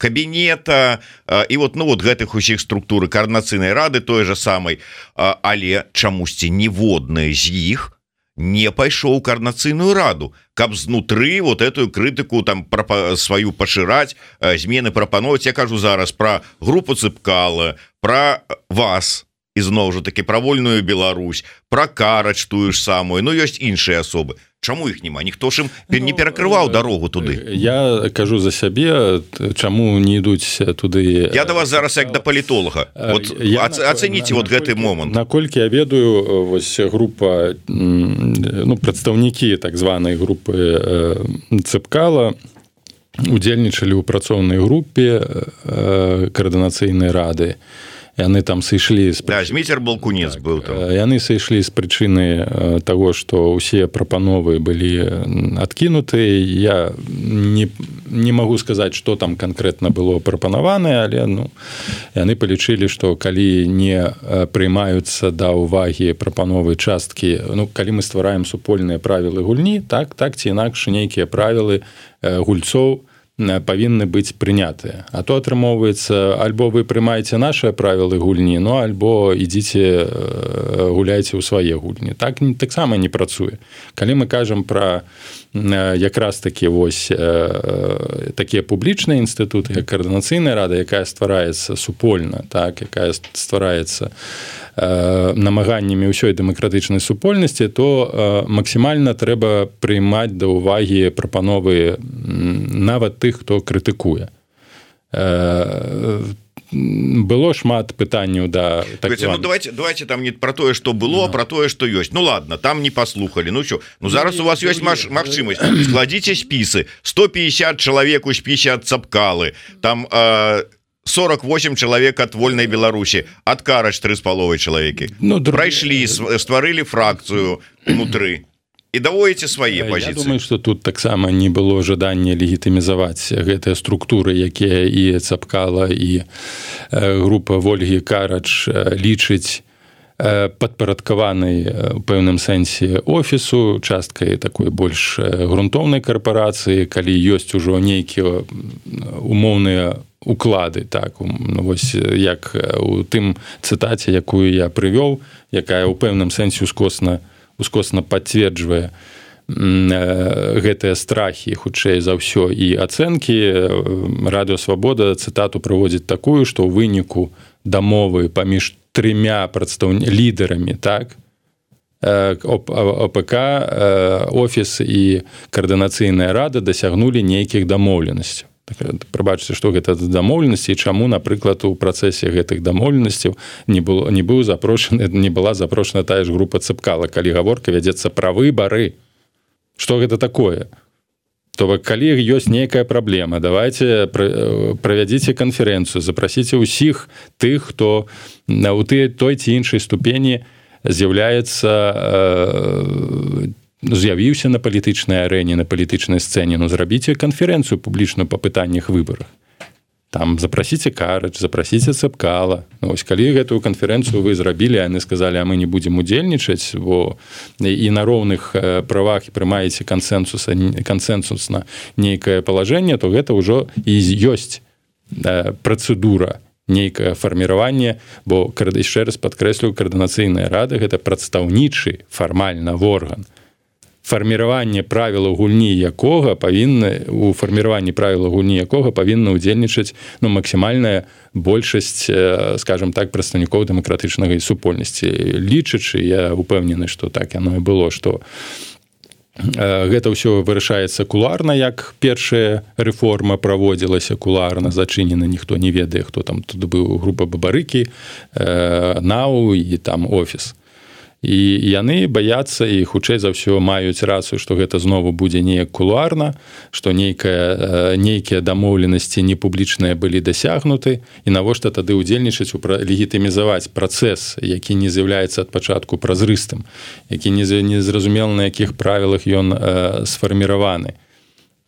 кабінета, і вот гэтых усіх структур Координацыйнай рады той же самай, але чамусьці ніводная з іх не пайшоў у Координацыйную раду, каб знутры вот эту крытыку там сваю пашыраць, змены прапановаць. Я кажу зараз пра групу Цыпкала, пра вас, і зноў жа таки пра Вольную Беларусь, пра Карач тую ж самую, ну ёсць іншыя асобы. Чаму іх няма? Ніхто ж ім не перакрываў дарогу туды. Я кажу за сябе, чаму не ідуць туды. Я да вас зараз як да палітолага. Вот ацэніце вот гэты момант. Наколькі я ведаю, вось група, ну, прадстаўнікі так званай групы Цыпкала удзельнічалі ў працоўнай групе Координацыйнай рады. яны там сышлі Зміцер Балкунец так, быў там. Яны сышлі з прычыны таго, што ўсе прапановы былі адкінуты. Я не магу сказаць, што там канкрэтна было прапанаванае, але яны палічылі, што калі не прыймаюцца да ўвагі прапановы часткі, калі мы ствараем супольныя правілы гульні, так ці інакш нейкія правілы гульцоў павінны быць прынятыя. А то атрымоўваецца, альбо вы прымаеце нашыя правілы гульні, альбо ідзіце гуляйце ў свае гульні. Так таксама не працуе. Калі мы кажам пра якраз такі такія публічныя інстытуты, як каардынацыйная рада, якая ствараецца супольна, так, якая ствараецца намаганнямі ўсёй дэмакратычнай супольнасці, то максімальна трэба прыймаць да ўвагі прапановы нават тых, хто крытыкуе. Было шмат пытанняў да так давайте там не про тое, што было, про тое, што ёсць. Ладно, там не паслухалі. Зараз у вас ёсць магчымасць. Складзіце спісы. 150 чалавек у спісе ад Цапкалы. Там 48 чалавек ад Вольнай Беларусі, ад Карач 3,5 чалавекі. Прайшлі, стварылі фракцыю унутры і даводзіце свае пазіцыі. Я думаю, што тут таксама не было жадання легітымізаваць гэтыя структуры, якія і Цапкала, і група Вольгі Карач лічыць падпарадкаванай у пэўным сэнсе офісу, часткай такой больш грунтоўнай карпорацыі, калі ёсць ужо нейкія умоўныя уклады, так, вось як у тым цытаце, якую я прывёў, якая ў пэўным сэнсе ускосна пацверджвае гэтыя страхі, хутчэй за ўсё, і ацэнкі. Радыё Свабода цытату прыводзіць такую, што ў выніку дамовы паміж 3 лідарамі, так, ОПК, офіс і каардынацыйная рада дасягнулі нейкіх дамоўленасцяў. Прабачце, што гэта дамоўленасці і чаму, напрыклад, у працэсе гэтых дамоўленасцяў не была запрошана тая ж група Цапкала, калі гаворка вядзецца пра выбары. Што гэта такое? То бок, калі ёсць нейкая праблема, давайте правядзіце канферэнцыю, запрасіце ўсіх тых, хто у той ці іншай ступені з'явіўся на палітычнай арэне, на палітычнай сцэне. Зрабіце канферэнцыю публічную па пытаннях выбарах. Там запрасіце Карач, запрасіце Цапкала. Ось калі гэтую канферэнцыю вы зрабілі, яны сказалі, а мы не будзем удзельнічаць, бо і на роўных правах прымаеце кансэнсусна нейкае палажэнне, то гэта ўжо і ёсць працэдура, нейкае фарміраванне, бо, яшчэ раз падкрэслю, каардынацыйная рада – гэта прадстаўнічы фармальна орган. Фарміраванне правілаў гульні якога павінна ўдзельнічаць максімальная большасць, скажем так, прадстаўнікоў дэмакратычнай супольнасці. Лічачы, я упэўнены, што так яно і было, што гэта ўсё вырашаецца кулуарна, як першая рэформа праводзілася кулуарна, зачынена, ніхто не ведае, хто там тут быў, група Бабарыкі, НАУ і там офіс. І яны баяцца і хутчэй за ўсё маюць рацыю, што гэта знову будзе неяк кулуарна, што нейкія дамоўленасці непублічныя былі дасягнуты, і навошта тады ўдзельнічаць легітымізаваць працэс, які не з'яўляецца ад пачатку празрыстым, які незразумела, на якіх правілах ён сфарміраваны.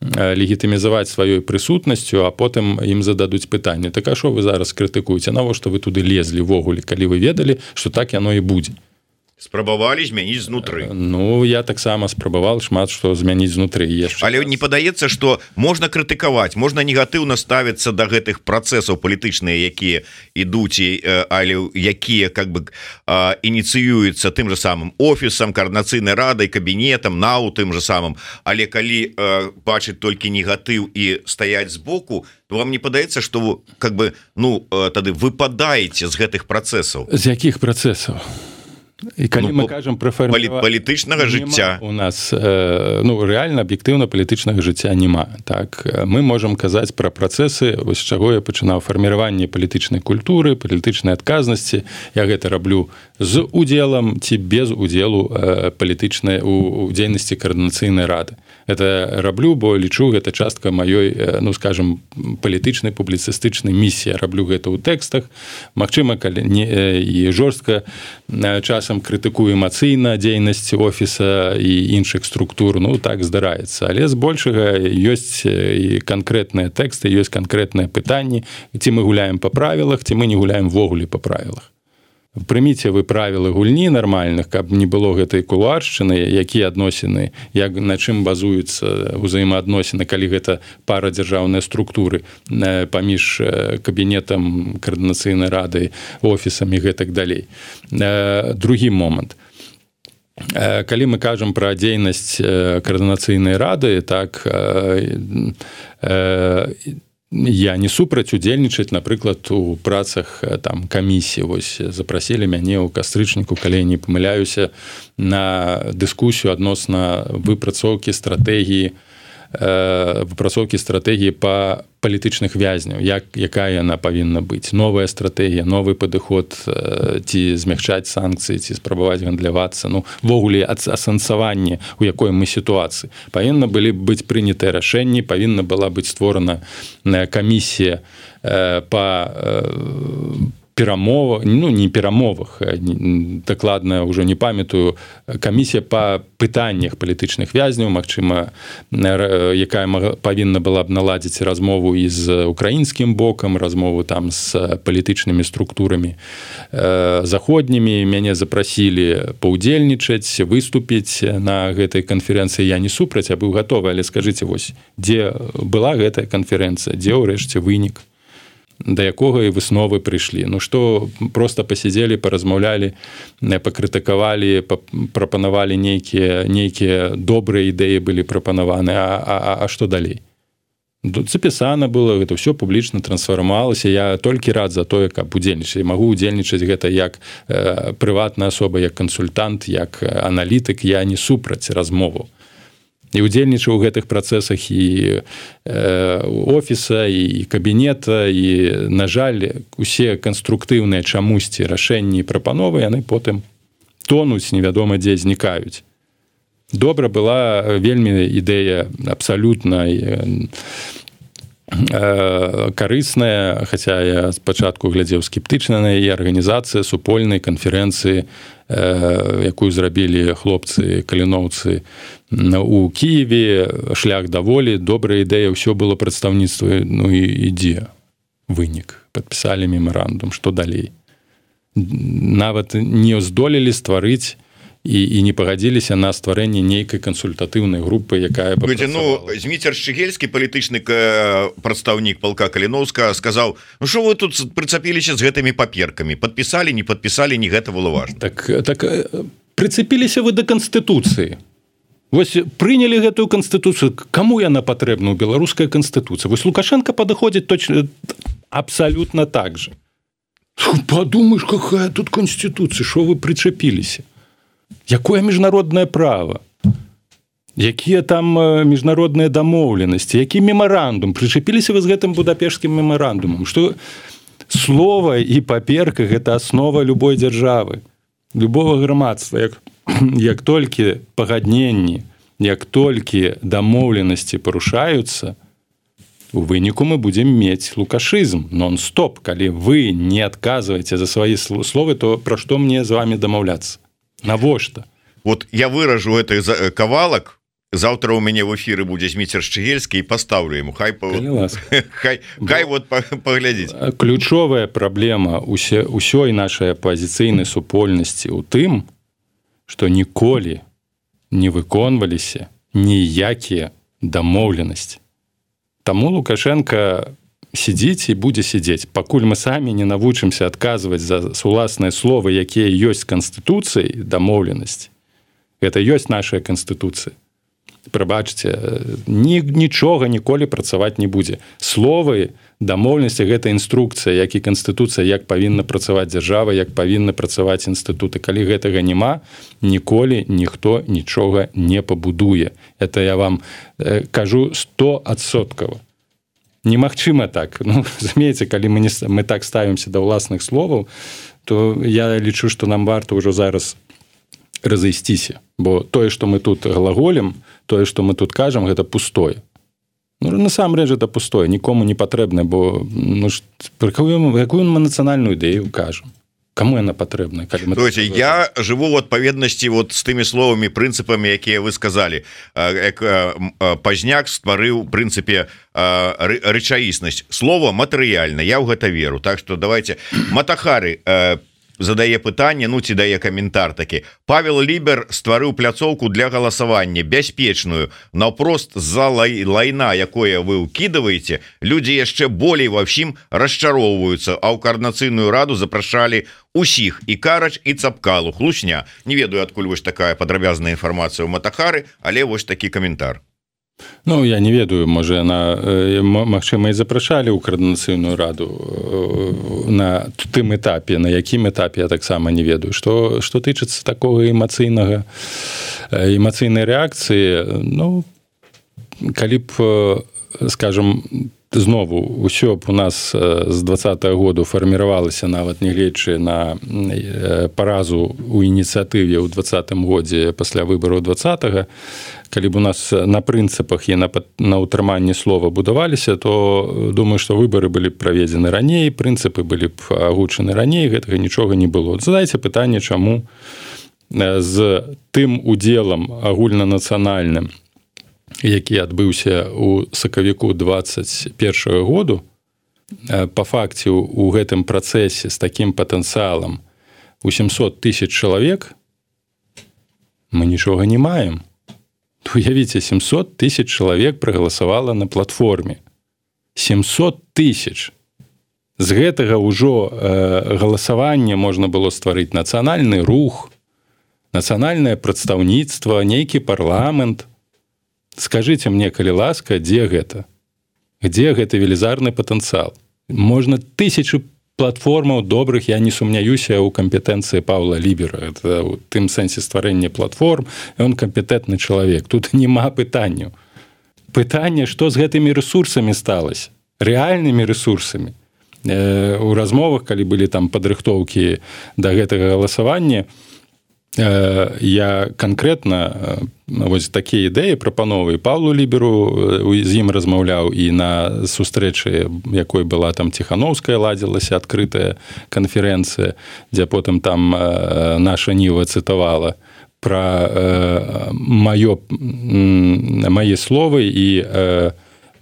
Легітымізаваць сваёй прысутнасцю, а потым ім зададуць пытанне. Так а што вы зараз крытыкуеце? Навошта вы туды лезлі ввогуле, калі вы ведалі, што так яно і будзе? Спрабавалі змяніць знутры. Я таксама спрабаваў шмат што змяніць знутры. Але не падаецца, што можна крытыкаваць, можна негатыўна ставіцца да гэтых працэсаў палітычныя, якія ідуць, але якія ініцыююцца тым же самым офісам, каардынацыйнай радай, кабінетам, НАУ тым же самым. Але калі бачыць толькі негатыў і стаяць збоку, то вам не падаецца, што тады выпадаеце з гэтых працэсаў? З якіх працэсаў? І калі мы кажам пра палітычнага жыцця у нас рэальна аб'ектыўна палітычнага жыцця няма. Так мы можам казаць пра працэсы, вось з чаго я пачынаў фарміраванне палітычнай культуры, палітычнай адказнасці. Я гэта раблю з удзелам ці без удзелу палітычнай у дзейнасці каардынацыйнай рады. Это раблю, бо лічу, гэта частка маёй, скажем, палітычнай публіцыстычнай місіі. Раблю гэта ў тэкстах. Магчыма, калі і жорстка часам крытыкую эмацыйна дзейнасць офіса і іншых структур, так здараецца. Але збольшага ёсць і канкрэтныя тэксты, ёсць канкрэтныя пытанні, ці мы гуляем па правілах, ці мы не гуляем ввогуле па правілах. Прыміце вы правілы гульні нармальных, каб не было гэтай кулуаршчыны, якія адносіны, на чым базуюцца ўзаемаадносіны, калі гэта пара дзяржаўнай структуры паміж кабінетам каардынацыйнай рады, офісам і гэтак далей. Другі момант. Калі мы кажам пра дзейнасць каардынацыйнай рады, так я не супраць удзельнічаць, напрыклад, у працах там камісіі. Вось запрасілі мяне ў кастрычніку, калі я не памыляюся, на дыскусію адносна выпрацоўкі стратэгіі па палітычных вязняў, якая яна павінна быць. Новая стратэгія, новы падыход, ці змягчаць санкцыі, ці спрабаваць гандлявацца. Ввогуле асэнсаванне, у якой мы сітуацыі. Павінна былі быць прынятыя рашэнні, павінна была быць створана камісія па перамовах, не перамовах, дакладна ўжо не памятаю, камісія па пытаннях палітычных вязняў, магчыма, якая павінна была б наладзіць размову і з украінскім бокам, размову там з палітычнымі структурамі заходнімі. Мяне запрасілі паўдзельнічаць, выступіць на гэтай канферэнцыі. Я не супраць, я быў гатовы, але скажыце, вось, дзе была гэтая канферэнцыя, дзе ўрэшце вынік? Да якога і высновы прыйшлі. Што проста пасядзелі, паразмаўлялі, пакрытыкавалі, прапанавалі нейкія добрыя ідэі былі прапанаваны, а што далей? Запісана было, гэта ўсё публічна трансфармавалася. Я толькі рад за тое, каб удзельнічаць. Магу удзельнічаць гэта як прыватная асоба, як кансультант, як аналітык. Я не супраць размову. І удзельнічаў у гэтых працэсах і офіса, і кабінета, і, на жаль, усе канструктыўныя чамусьці рашэнні і прапановы, яны потым тонуць, невядома дзе, знікаюць. Добра была вельмі ідэя абсалютна карысная, хаця я спачатку глядзеў скептычна на яе, арганізацыя супольнай канферэнцыі, якую зрабілі хлопцы каліноўцы у Кіеве, шлях да волі, добрая ідэя, ўсё было прадстаўніцтва, і ідзе вынік. Падпісалі мемарандум, што далей? Нават не здолелі стварыць і не пагадзіліся на стварэнне нейкай кансультатыўнай групы, якая б працавала. Зміцер Шчыгельскі, палітычны прадстаўнік палка Каліноўска, сказаў, што вы тут прыцапіліся з гэтымі паперкамі? Падпісалі, не падпісалі, не гэта было важна. Так прыцепіліся вы да Канстытуцыі. Вось прынялі гэтую Канстытуцыю. Каму яна патрэбна ў беларускай Канстытуцыі? Вось Лукашенко падыходзіць точно абсалютна так же. Падумаеш, какая тут Конституцыя, што вы прычапіліся? Якое міжнароднае права? Якія там міжнародныя дамоўленасці? Які мемарандум? Прычапіліся вы з гэтым будапешскім мемарандумам? Што слова і паперка – гэта аснова любой дзяржавы, любого грамадства. Як толькі пагадненні, як толькі дамоўленасці парушаюцца, у выніку мы будзем мець лукашызм, нон-стоп. Калі вы не адказваеце за свае словы, то пра што мне з вамі дамаўляцца? Навошта? Вот я выражу гэты кавалак, заўтра у мяне в эфіры будзе Зміцер Шчыгельскі, і пастаўлю яму, хай вот паглядзіць. Ключовая праблема ўсёй нашай апазіцыйнай супольнасці ў тым, што ніколі не выконваліся ніякія дамоўленасці. Таму Лукашенко сидзіць і будзе сидзець, пакуль мы самі не навучымся адказваць за уласныя словы, якія ёсць Канстытуцыяй, дамоўленасці. Гэта ёсць наша Канстытуцыя. прабачце, нічога ніколі працаваць не будзе. Словы, дамоўленасці, гэта інструкцыя, як і канстытуцыя, як павінна працаваць дзяржава, як павінны працаваць інстытуты. Калі гэтага няма, ніколі ніхто нічога не пабудуе. Это я вам кажу 100%. Немагчыма так. Ну, разумееце, калі мы так ставімся да ўласных словаў, то я лічу, што нам варта ўжо зараз разыйсціся. Бо тое, што мы тут глаголем, тое, што мы тут кажам, гэта пустое. Ну, насамрэч, гэта пустое, нікому не патрэбна, бо про якую мы нацыянальную ідэю кажам? Кому яна патрэбна? Я жыву в адпаведнасці з тымі словамі, прынцыпамі, якія вы сказалі. Пазняк стварыў, в прынцыпе, рэчаіснасць. Слово матэрыяльна, я ў гэта веру. Так што давайте. Матахары задае пытанне, ну ці дае каментар такі. Павел Лібер стварыў пляцоўку для галасавання бяспечную, наўпрост з-за лайна, якое вы ўкідываеце, людзі яшчэ болей ва ўсім расчароўваюцца, а ў коардынацыйную раду запрашалі усіх, і Карач, і Цапкалу. Хлусня. Не ведаю, адкуль вось такая падрабязная інфармацыя ў Матахары, але вось такі каментар. Ну, я не ведаю, можа, яна, магчыма, і запрашалі ў коардынацыйную раду на тым этапе, на якім этапе, я таксама не ведаю. Што тычыцца такога эмацыйнай рэакцыі, ну, калі б, скажам, знову, ўсё б у нас з 20-го году фарміравалася, нават нягледзячы на паразу ў ініцыятыве ў 20-м годзе пасля выбараў 20-го, калі б у нас на прынцыпах і на ўтрыманні слова будаваліся, то думаю, што выбары былі б праведзены раней, прынцыпы былі б агучаны раней, гэтага нічога не было. Задайце пытанне, чаму з тым удзелам агульнанацыянальным, які адбыўся ў сакавіку 21 году, па факце у гэтым працэсе з такім патэнцыялам у 700 000 чалавек мы нічога не маем. Уявіце, 700 000 чалавек прагаласавала на платформе. 700 000. З гэтага ўжо галасавання можна было стварыць нацыянальны рух, нацыянальнае прадстаўніцтва, нейкі парламент. Скажыце мне, калі ласка, дзе гэта? Дзе гэты велізарны патэнцыял? Можна 1000 платформаў добрых, я не сумняюся ў кампетэнцыі Паўла Лібера. Это ў тым сэнсе стварэння платформ, ён кампетэнтны чалавек. Тут няма пытанняў. Пытанне, што з гэтымі рэсурсамі сталася? Рэальнымі рэсурсамі. У размовах, калі былі там падрыхтоўкі да гэтага галасавання, я канкрэтна вось такія ідэі прапановы Паўлу Ліберу, з ім размаўляў і на сустрэчы, якой была там Ціхановская, ладзілася адкрытая канферэнцыя, дзе потым там наша Ніва цытавала пра мае словы і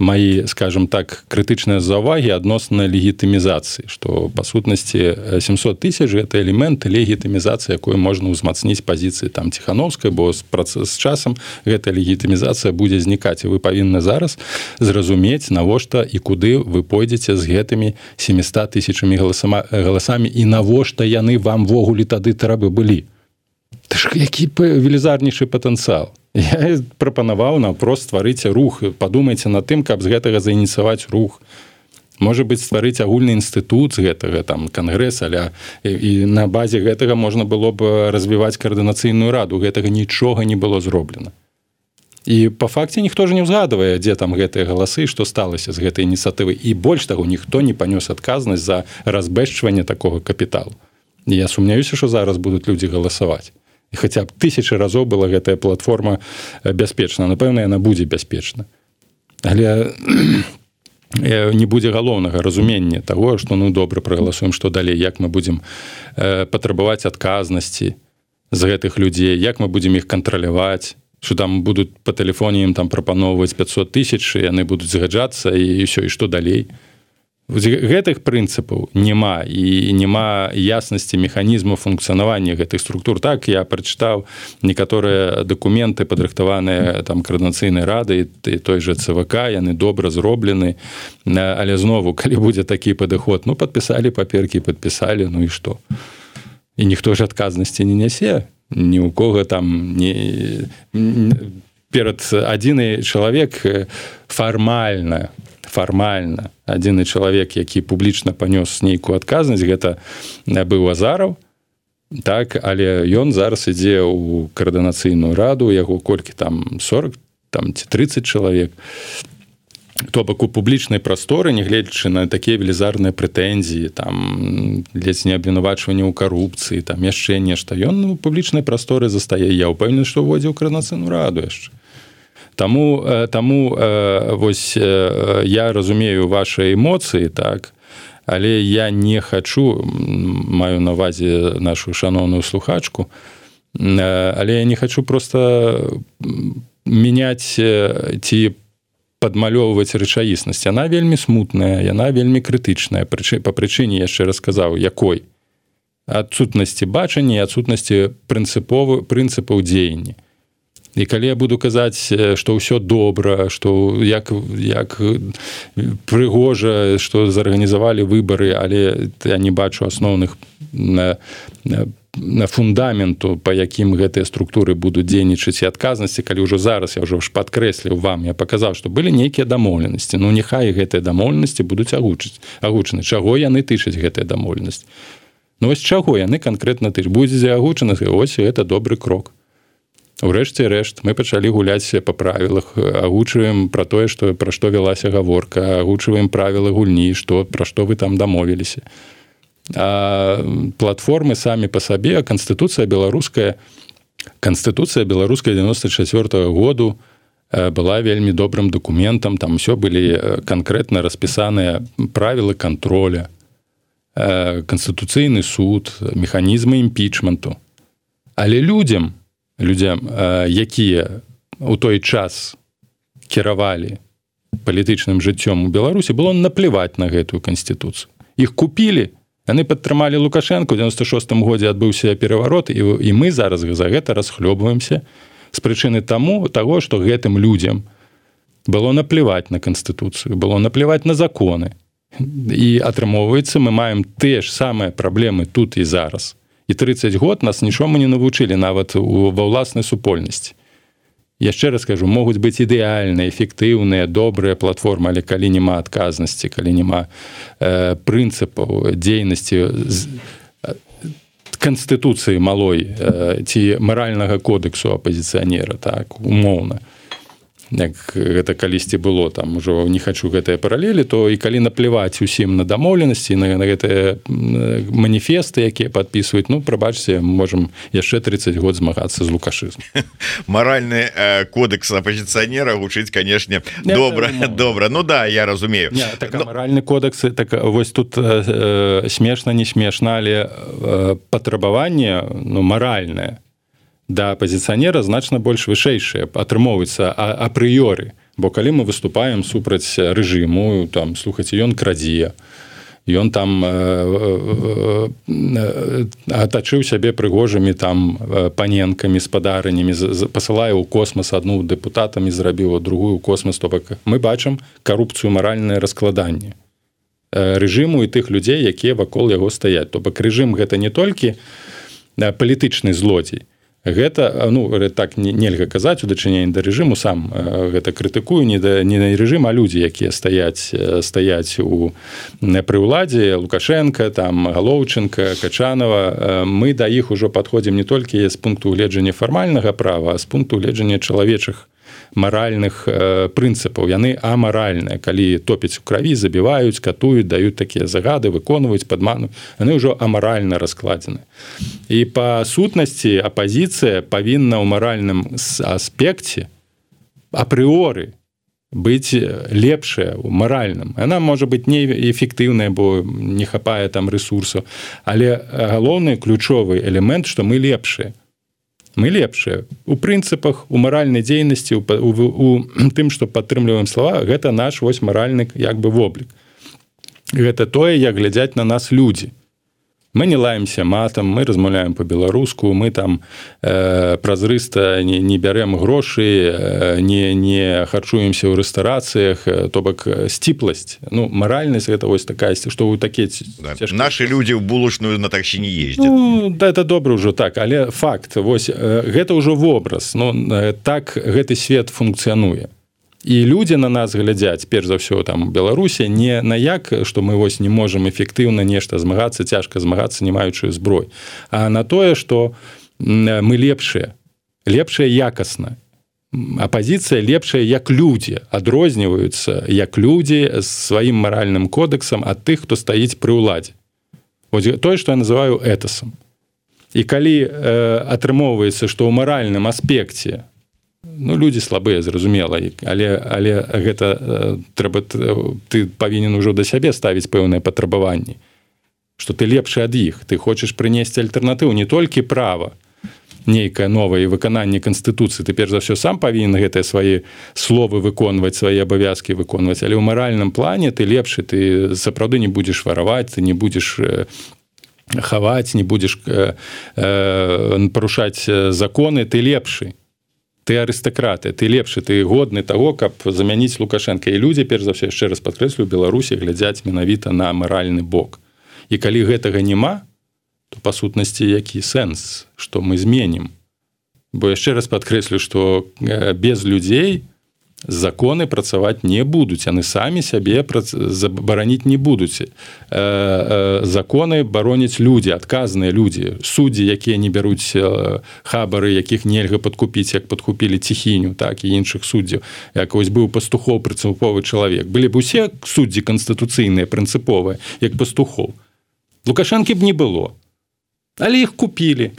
мои, скажем так, крытычныя заўвагі адносна легітымізацыі, што, па сутнасці, 700 000 – гэта элемент легітымізацыі, якую можна ўзмацніць пазіцыі там Ціхановскай, бо з часам гэта легітымізацыя будзе знікаць, і вы павінны зараз зразумець, навошта і куды вы пойдзеце з гэтымі 700 000 галасамі, і навошта яны вам ввогуле тады трэба былі. Ты ж які велізарнейшы патэнцыял. Я прапанаваў наўпрост стварыць рух. Падумайце над тым, каб з гэтага заініцыяваць рух. Можа быць, стварыць агульны інстытут з гэтага, там, кангрэс, і на базе гэтага можна было б развіваць коардынацыйную раду. Гэтага нічога не было зроблена. І па факце ніхто ж не ўзгадвае, дзе там гэтыя галасы, што сталася з гэтай ініцыятывы. І больш таго, ніхто не панёс адказнасць за разбэшчванне такога капіталу. І я сумняюся, што зараз будуць людзі галасаваць. І хаця б 1000 разоў была гэтая платформа бяспечна. Напэўна, яна будзе бяспечна. Але не будзе галоўнага разумення таго, што ну добра прагаласуем, што далей, як мы будзем патрабаваць адказнасці з гэтых людзей, як мы будзем іх кантраляваць, што там будуць па тэлефоне ім там прапаноўваць 500 000, яны будуць згаджацца і ўсё, і што далей. Гэтых прынцыпаў няма, і няма яснасці механізму функцыянавання гэтых структур. Так, я прачытаў некаторыя дакументы, падрыхтаваныя там коардынацыйнай рады і той жа ЦВК, яны добра зроблены, але знову, калі будзе такі падыход, ну, падпісалі паперкі, падпісалі, ну і што? І ніхто ж адказнасці не нясе, ні ў кого там перад адзіны чалавек фармальна адзіны чалавек, які публічна панёс нейкую адказнасць, гэта быў Азараў, так, але ён зараз ідзе ў каардынацыйную раду, яго колькі там 40 там, ці 30 чалавек. То бок у публічнай прасторы, нягледзячы на такія велізарныя прэтэнзіі, там ледзь не абвінавачванне ў карупцыі, там яшчэ нешта, ён у публічнай прасторы застае. Я ўпэўнены, што ўводзіў каардынацыйную раду яшчэ. Таму вось я разумею ваши эмоцыі, так, але я не хачу, маю на ўвазе нашу шаноўную слухачку, але я не хачу просто мяняць ці падмалёўваць рэчаіснасць. Яна вельмі смутная, яна вельмі крытычная, па прычыне, яшчэ раз сказаў, якой? Адсутнасці бачання і адсутнасці прынцыпаў дзеяння. І калі я буду казаць, што ўсё добра, што як прыгожа, што зарганізавалі выбары, але я не бачу асноўных фундаменту, па якім гэтыя структуры будуць дзейнічаць і адказнасці, калі ўжо зараз я ўжо падкрэсліў вам, я паказаў, што былі нейкія дамоўленасці. Ну, няхай гэтыя дамоўленасці будуць агучаны. Чаго яны тычаць гэтыя дамоўленасці? Ну, вось чаго яны канкрэтна тычаць? Будзе агучаны, ось гэта добры крок. Урэшце рэшт, мы пачалі гуляць па правілах, агучваем пра тое, пра што вялася гаворка, агучваем правілы гульні, пра што вы там дамовіліся. А платформы самі па сабе, Канстытуцыя беларуская 94-го году была вельмі добрым дакументам, там усё былі канкрэтна распісаныя правілы контроля, Канстытуцыйны суд, механізмы імпічменту. Але людзям, якія ў той час кіравалі палітычным жыццём у Беларусі, было наплеваць на гэтую канстытуцыю. Іх купілі, яны падтрымалі Лукашенко, у 96-м годзе адбыўся пераварот, і мы зараз за гэта расхлёбваемся з прычыны таго, што гэтым людзям было наплеваць на канстытуцыю, было наплеваць на законы. І атрымоўваецца, мы маем тыя ж самыя праблемы тут і зараз. І 30 год нас нічому не навучылі нават ва ўласнай супольнасці. Яшчэ раз кажу, могуць быць ідэальныя, эфектыўныя, добрыя платформы, але калі няма адказнасці, калі няма прынцыпаў дзейнасці канстытуцыі малой ці маральнага кодексу апазіцыянера, так, умоўна, як гэта калісьці было, там ужо не хачу гэтыя паралелі, то і калі наплеваць усім на дамоўленасці, на гэтыя маніфесты, якія падпісваюць, ну, прабачце, можам яшчэ 30 год змагацца з лукашызмам. Маральны кодекс апозіцыянера гучыць, канешне, добра. Ну да, я разумею. Маральны кодекс, так вось тут смешна, не смешна, але патрабаванне, ну, маральнае да апозіцыянера значна больш вышэйшае атрымоўваецца апрыёры, бо калі мы выступаем супраць рэжыму, там, слухайце, ён крадзе, ён там атачыў сябе прыгожымі там паненкамі, спадарынямі, пасылае ў космас адну дэпутатамі, зрабіў другую ў космас, то бок мы бачым карупцыю, маральнае раскладанне рэжыму і тых людзей, якія вакол яго стаяць. То бок рэжым гэта не толькі палітычны злодзей, гэта, ну, так нельга казаць у дачыненні да рэжыму, сам гэта крытыкую, не на рэжым, а людзі, якія стаяць пры ўладзе, Лукашенко, там, Галоўчынка, Качанова, мы да іх ужо падходзім не толькі з пункту гледжання фармальнага права, а з пункту гледжання чалавечых маральных прынцыпаў. Яны амаральныя, калі топяць у краві, забіваюць, катуюць, даюць такія загады, выконваюць, падмануюць, яны ўжо амаральна раскладзены. І па сутнасці апазіцыя павінна ў маральным аспекце апрыоры быць лепшая ў маральным. Яна можа быць неэфектыўная, бо не хапае там рэсурсаў, але галоўны ключовы элемент, што мы лепшыя. Мы лепшыя у прынцыпах, у маральнай дзейнасці, у тым, што падтрымліваем слова, гэта наш вось маральны як бы воблік. Гэта тое, як глядзяць на нас людзі. Мы не лаемся матам, мы размаўляем по-беларуску, мы там празрыста не бярем грошы, не харчуемся ў рэстарацыях, то бок сціпласць. Ну, маральнасць гэта вось такая, што вы такія Нашы людзі ў булачную на таксі не ездзяць. Ну, да, это добра ўжо так, але факт, вось гэта ўжо вобраз. Ну, так гэты свет функцыянуе. І людзі на нас глядзяць, перш за ўсё там у Беларусі, не на як, што мы вось не можам эфектыўна нешта змагацца, цяжка змагацца, не маючы зброй, а на тое, што мы лепшыя якасна. Апазіцыя лепшая як людзі, адрозніваюцца як людзі з сваім маральным кодэксам ад тых, хто стаіць пры ўладзе. Тое, што я называю этасам. І калі атрымоўваецца, што ў маральным аспекце людзі слабыя, зразумела, але гэта трэба, ты павінен ужо да сябе ставіць пэўныя патрабаванні, што ты лепшы ад іх, ты хочаш прынесці альтэрнатыву, не толькі права нейкае новае выкананне Канстытуцыі, ты перш за ўсё сам павінен гэтыя свае словы выконваць, свае абавязкі выконваць, але ў маральным плане ты лепшы, ты сапраўды не будзеш вараваць, ты не будзеш хаваць, не будзеш парушаць законы, ты лепшы. Ты арыстакраты, ты лепшы, ты годны таго, каб замяніць Лукашенка. І людзі, перш за ўсё, яшчэ раз падкрэслю, у Беларусі глядзяць менавіта на маральны бок. І калі гэтага няма, то па сутнасці які сэнс, што мы зменім? Бо яшчэ раз падкрэслю, што без людзей законы працаваць не будуць, яны самі сябе забараніць не будуць. Законы бароняць людзі, адказныя людзі, суддзі, якія не бяруць хабары, якіх нельга падкупіць, як падкупілі Ціхіню, так і іншых суддзяў. Як вось быў Пастухоў, прынцыповы чалавек. Былі б усе суддзі канстытуцыйныя, прынцыповыя, як Пастухоў. Лукашэнкі б не было. Але іх купілі.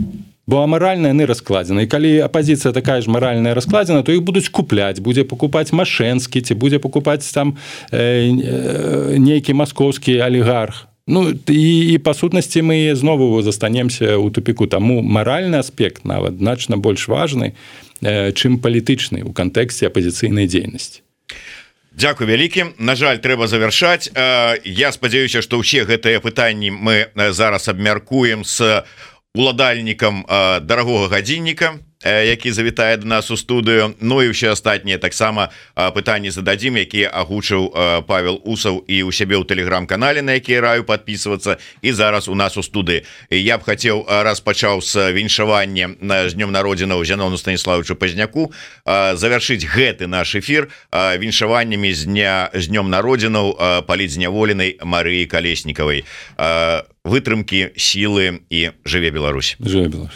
Бо амаральна яны раскладзены. І калі апазіцыя такая ж маральная раскладзена, то іх будуць купляць, будзе пакупаць Машэнскі, ці будзе пакупаць там нейкі маскоўскі алігарх. Ну, і па сутнасці мы знову застанемся ў тупіку. Таму маральны аспект нават значна больш важны, чым палітычны ў кантэксце апазіцыйнай дзейнасці. Дзякуй вялікі. На жаль, трэба завяршаць. Я спадзяюся, што ўсе гэтыя пытанні мы зараз абмяркуем з уладальнікам дарагога гадзінніка, які завітае до нас у студыю. Ну і ўсе астатнія таксама пытанні зададзім, якія агучыў Павел Усаў і ў сябе ў тэлеграм-канале, на які раю подписываться, і зараз у нас у студыі. Я б хацеў, раз пачаў з віншавання з днём народзінаў Зянону Станіславовичу Пазняку, завяршыць гэты наш эфір віншаваннямі з днём народзінаў палітзняволенай Марыі Калеснікавай. Вытрымкі, сілы і жыве Беларусь. Жыве Беларусь.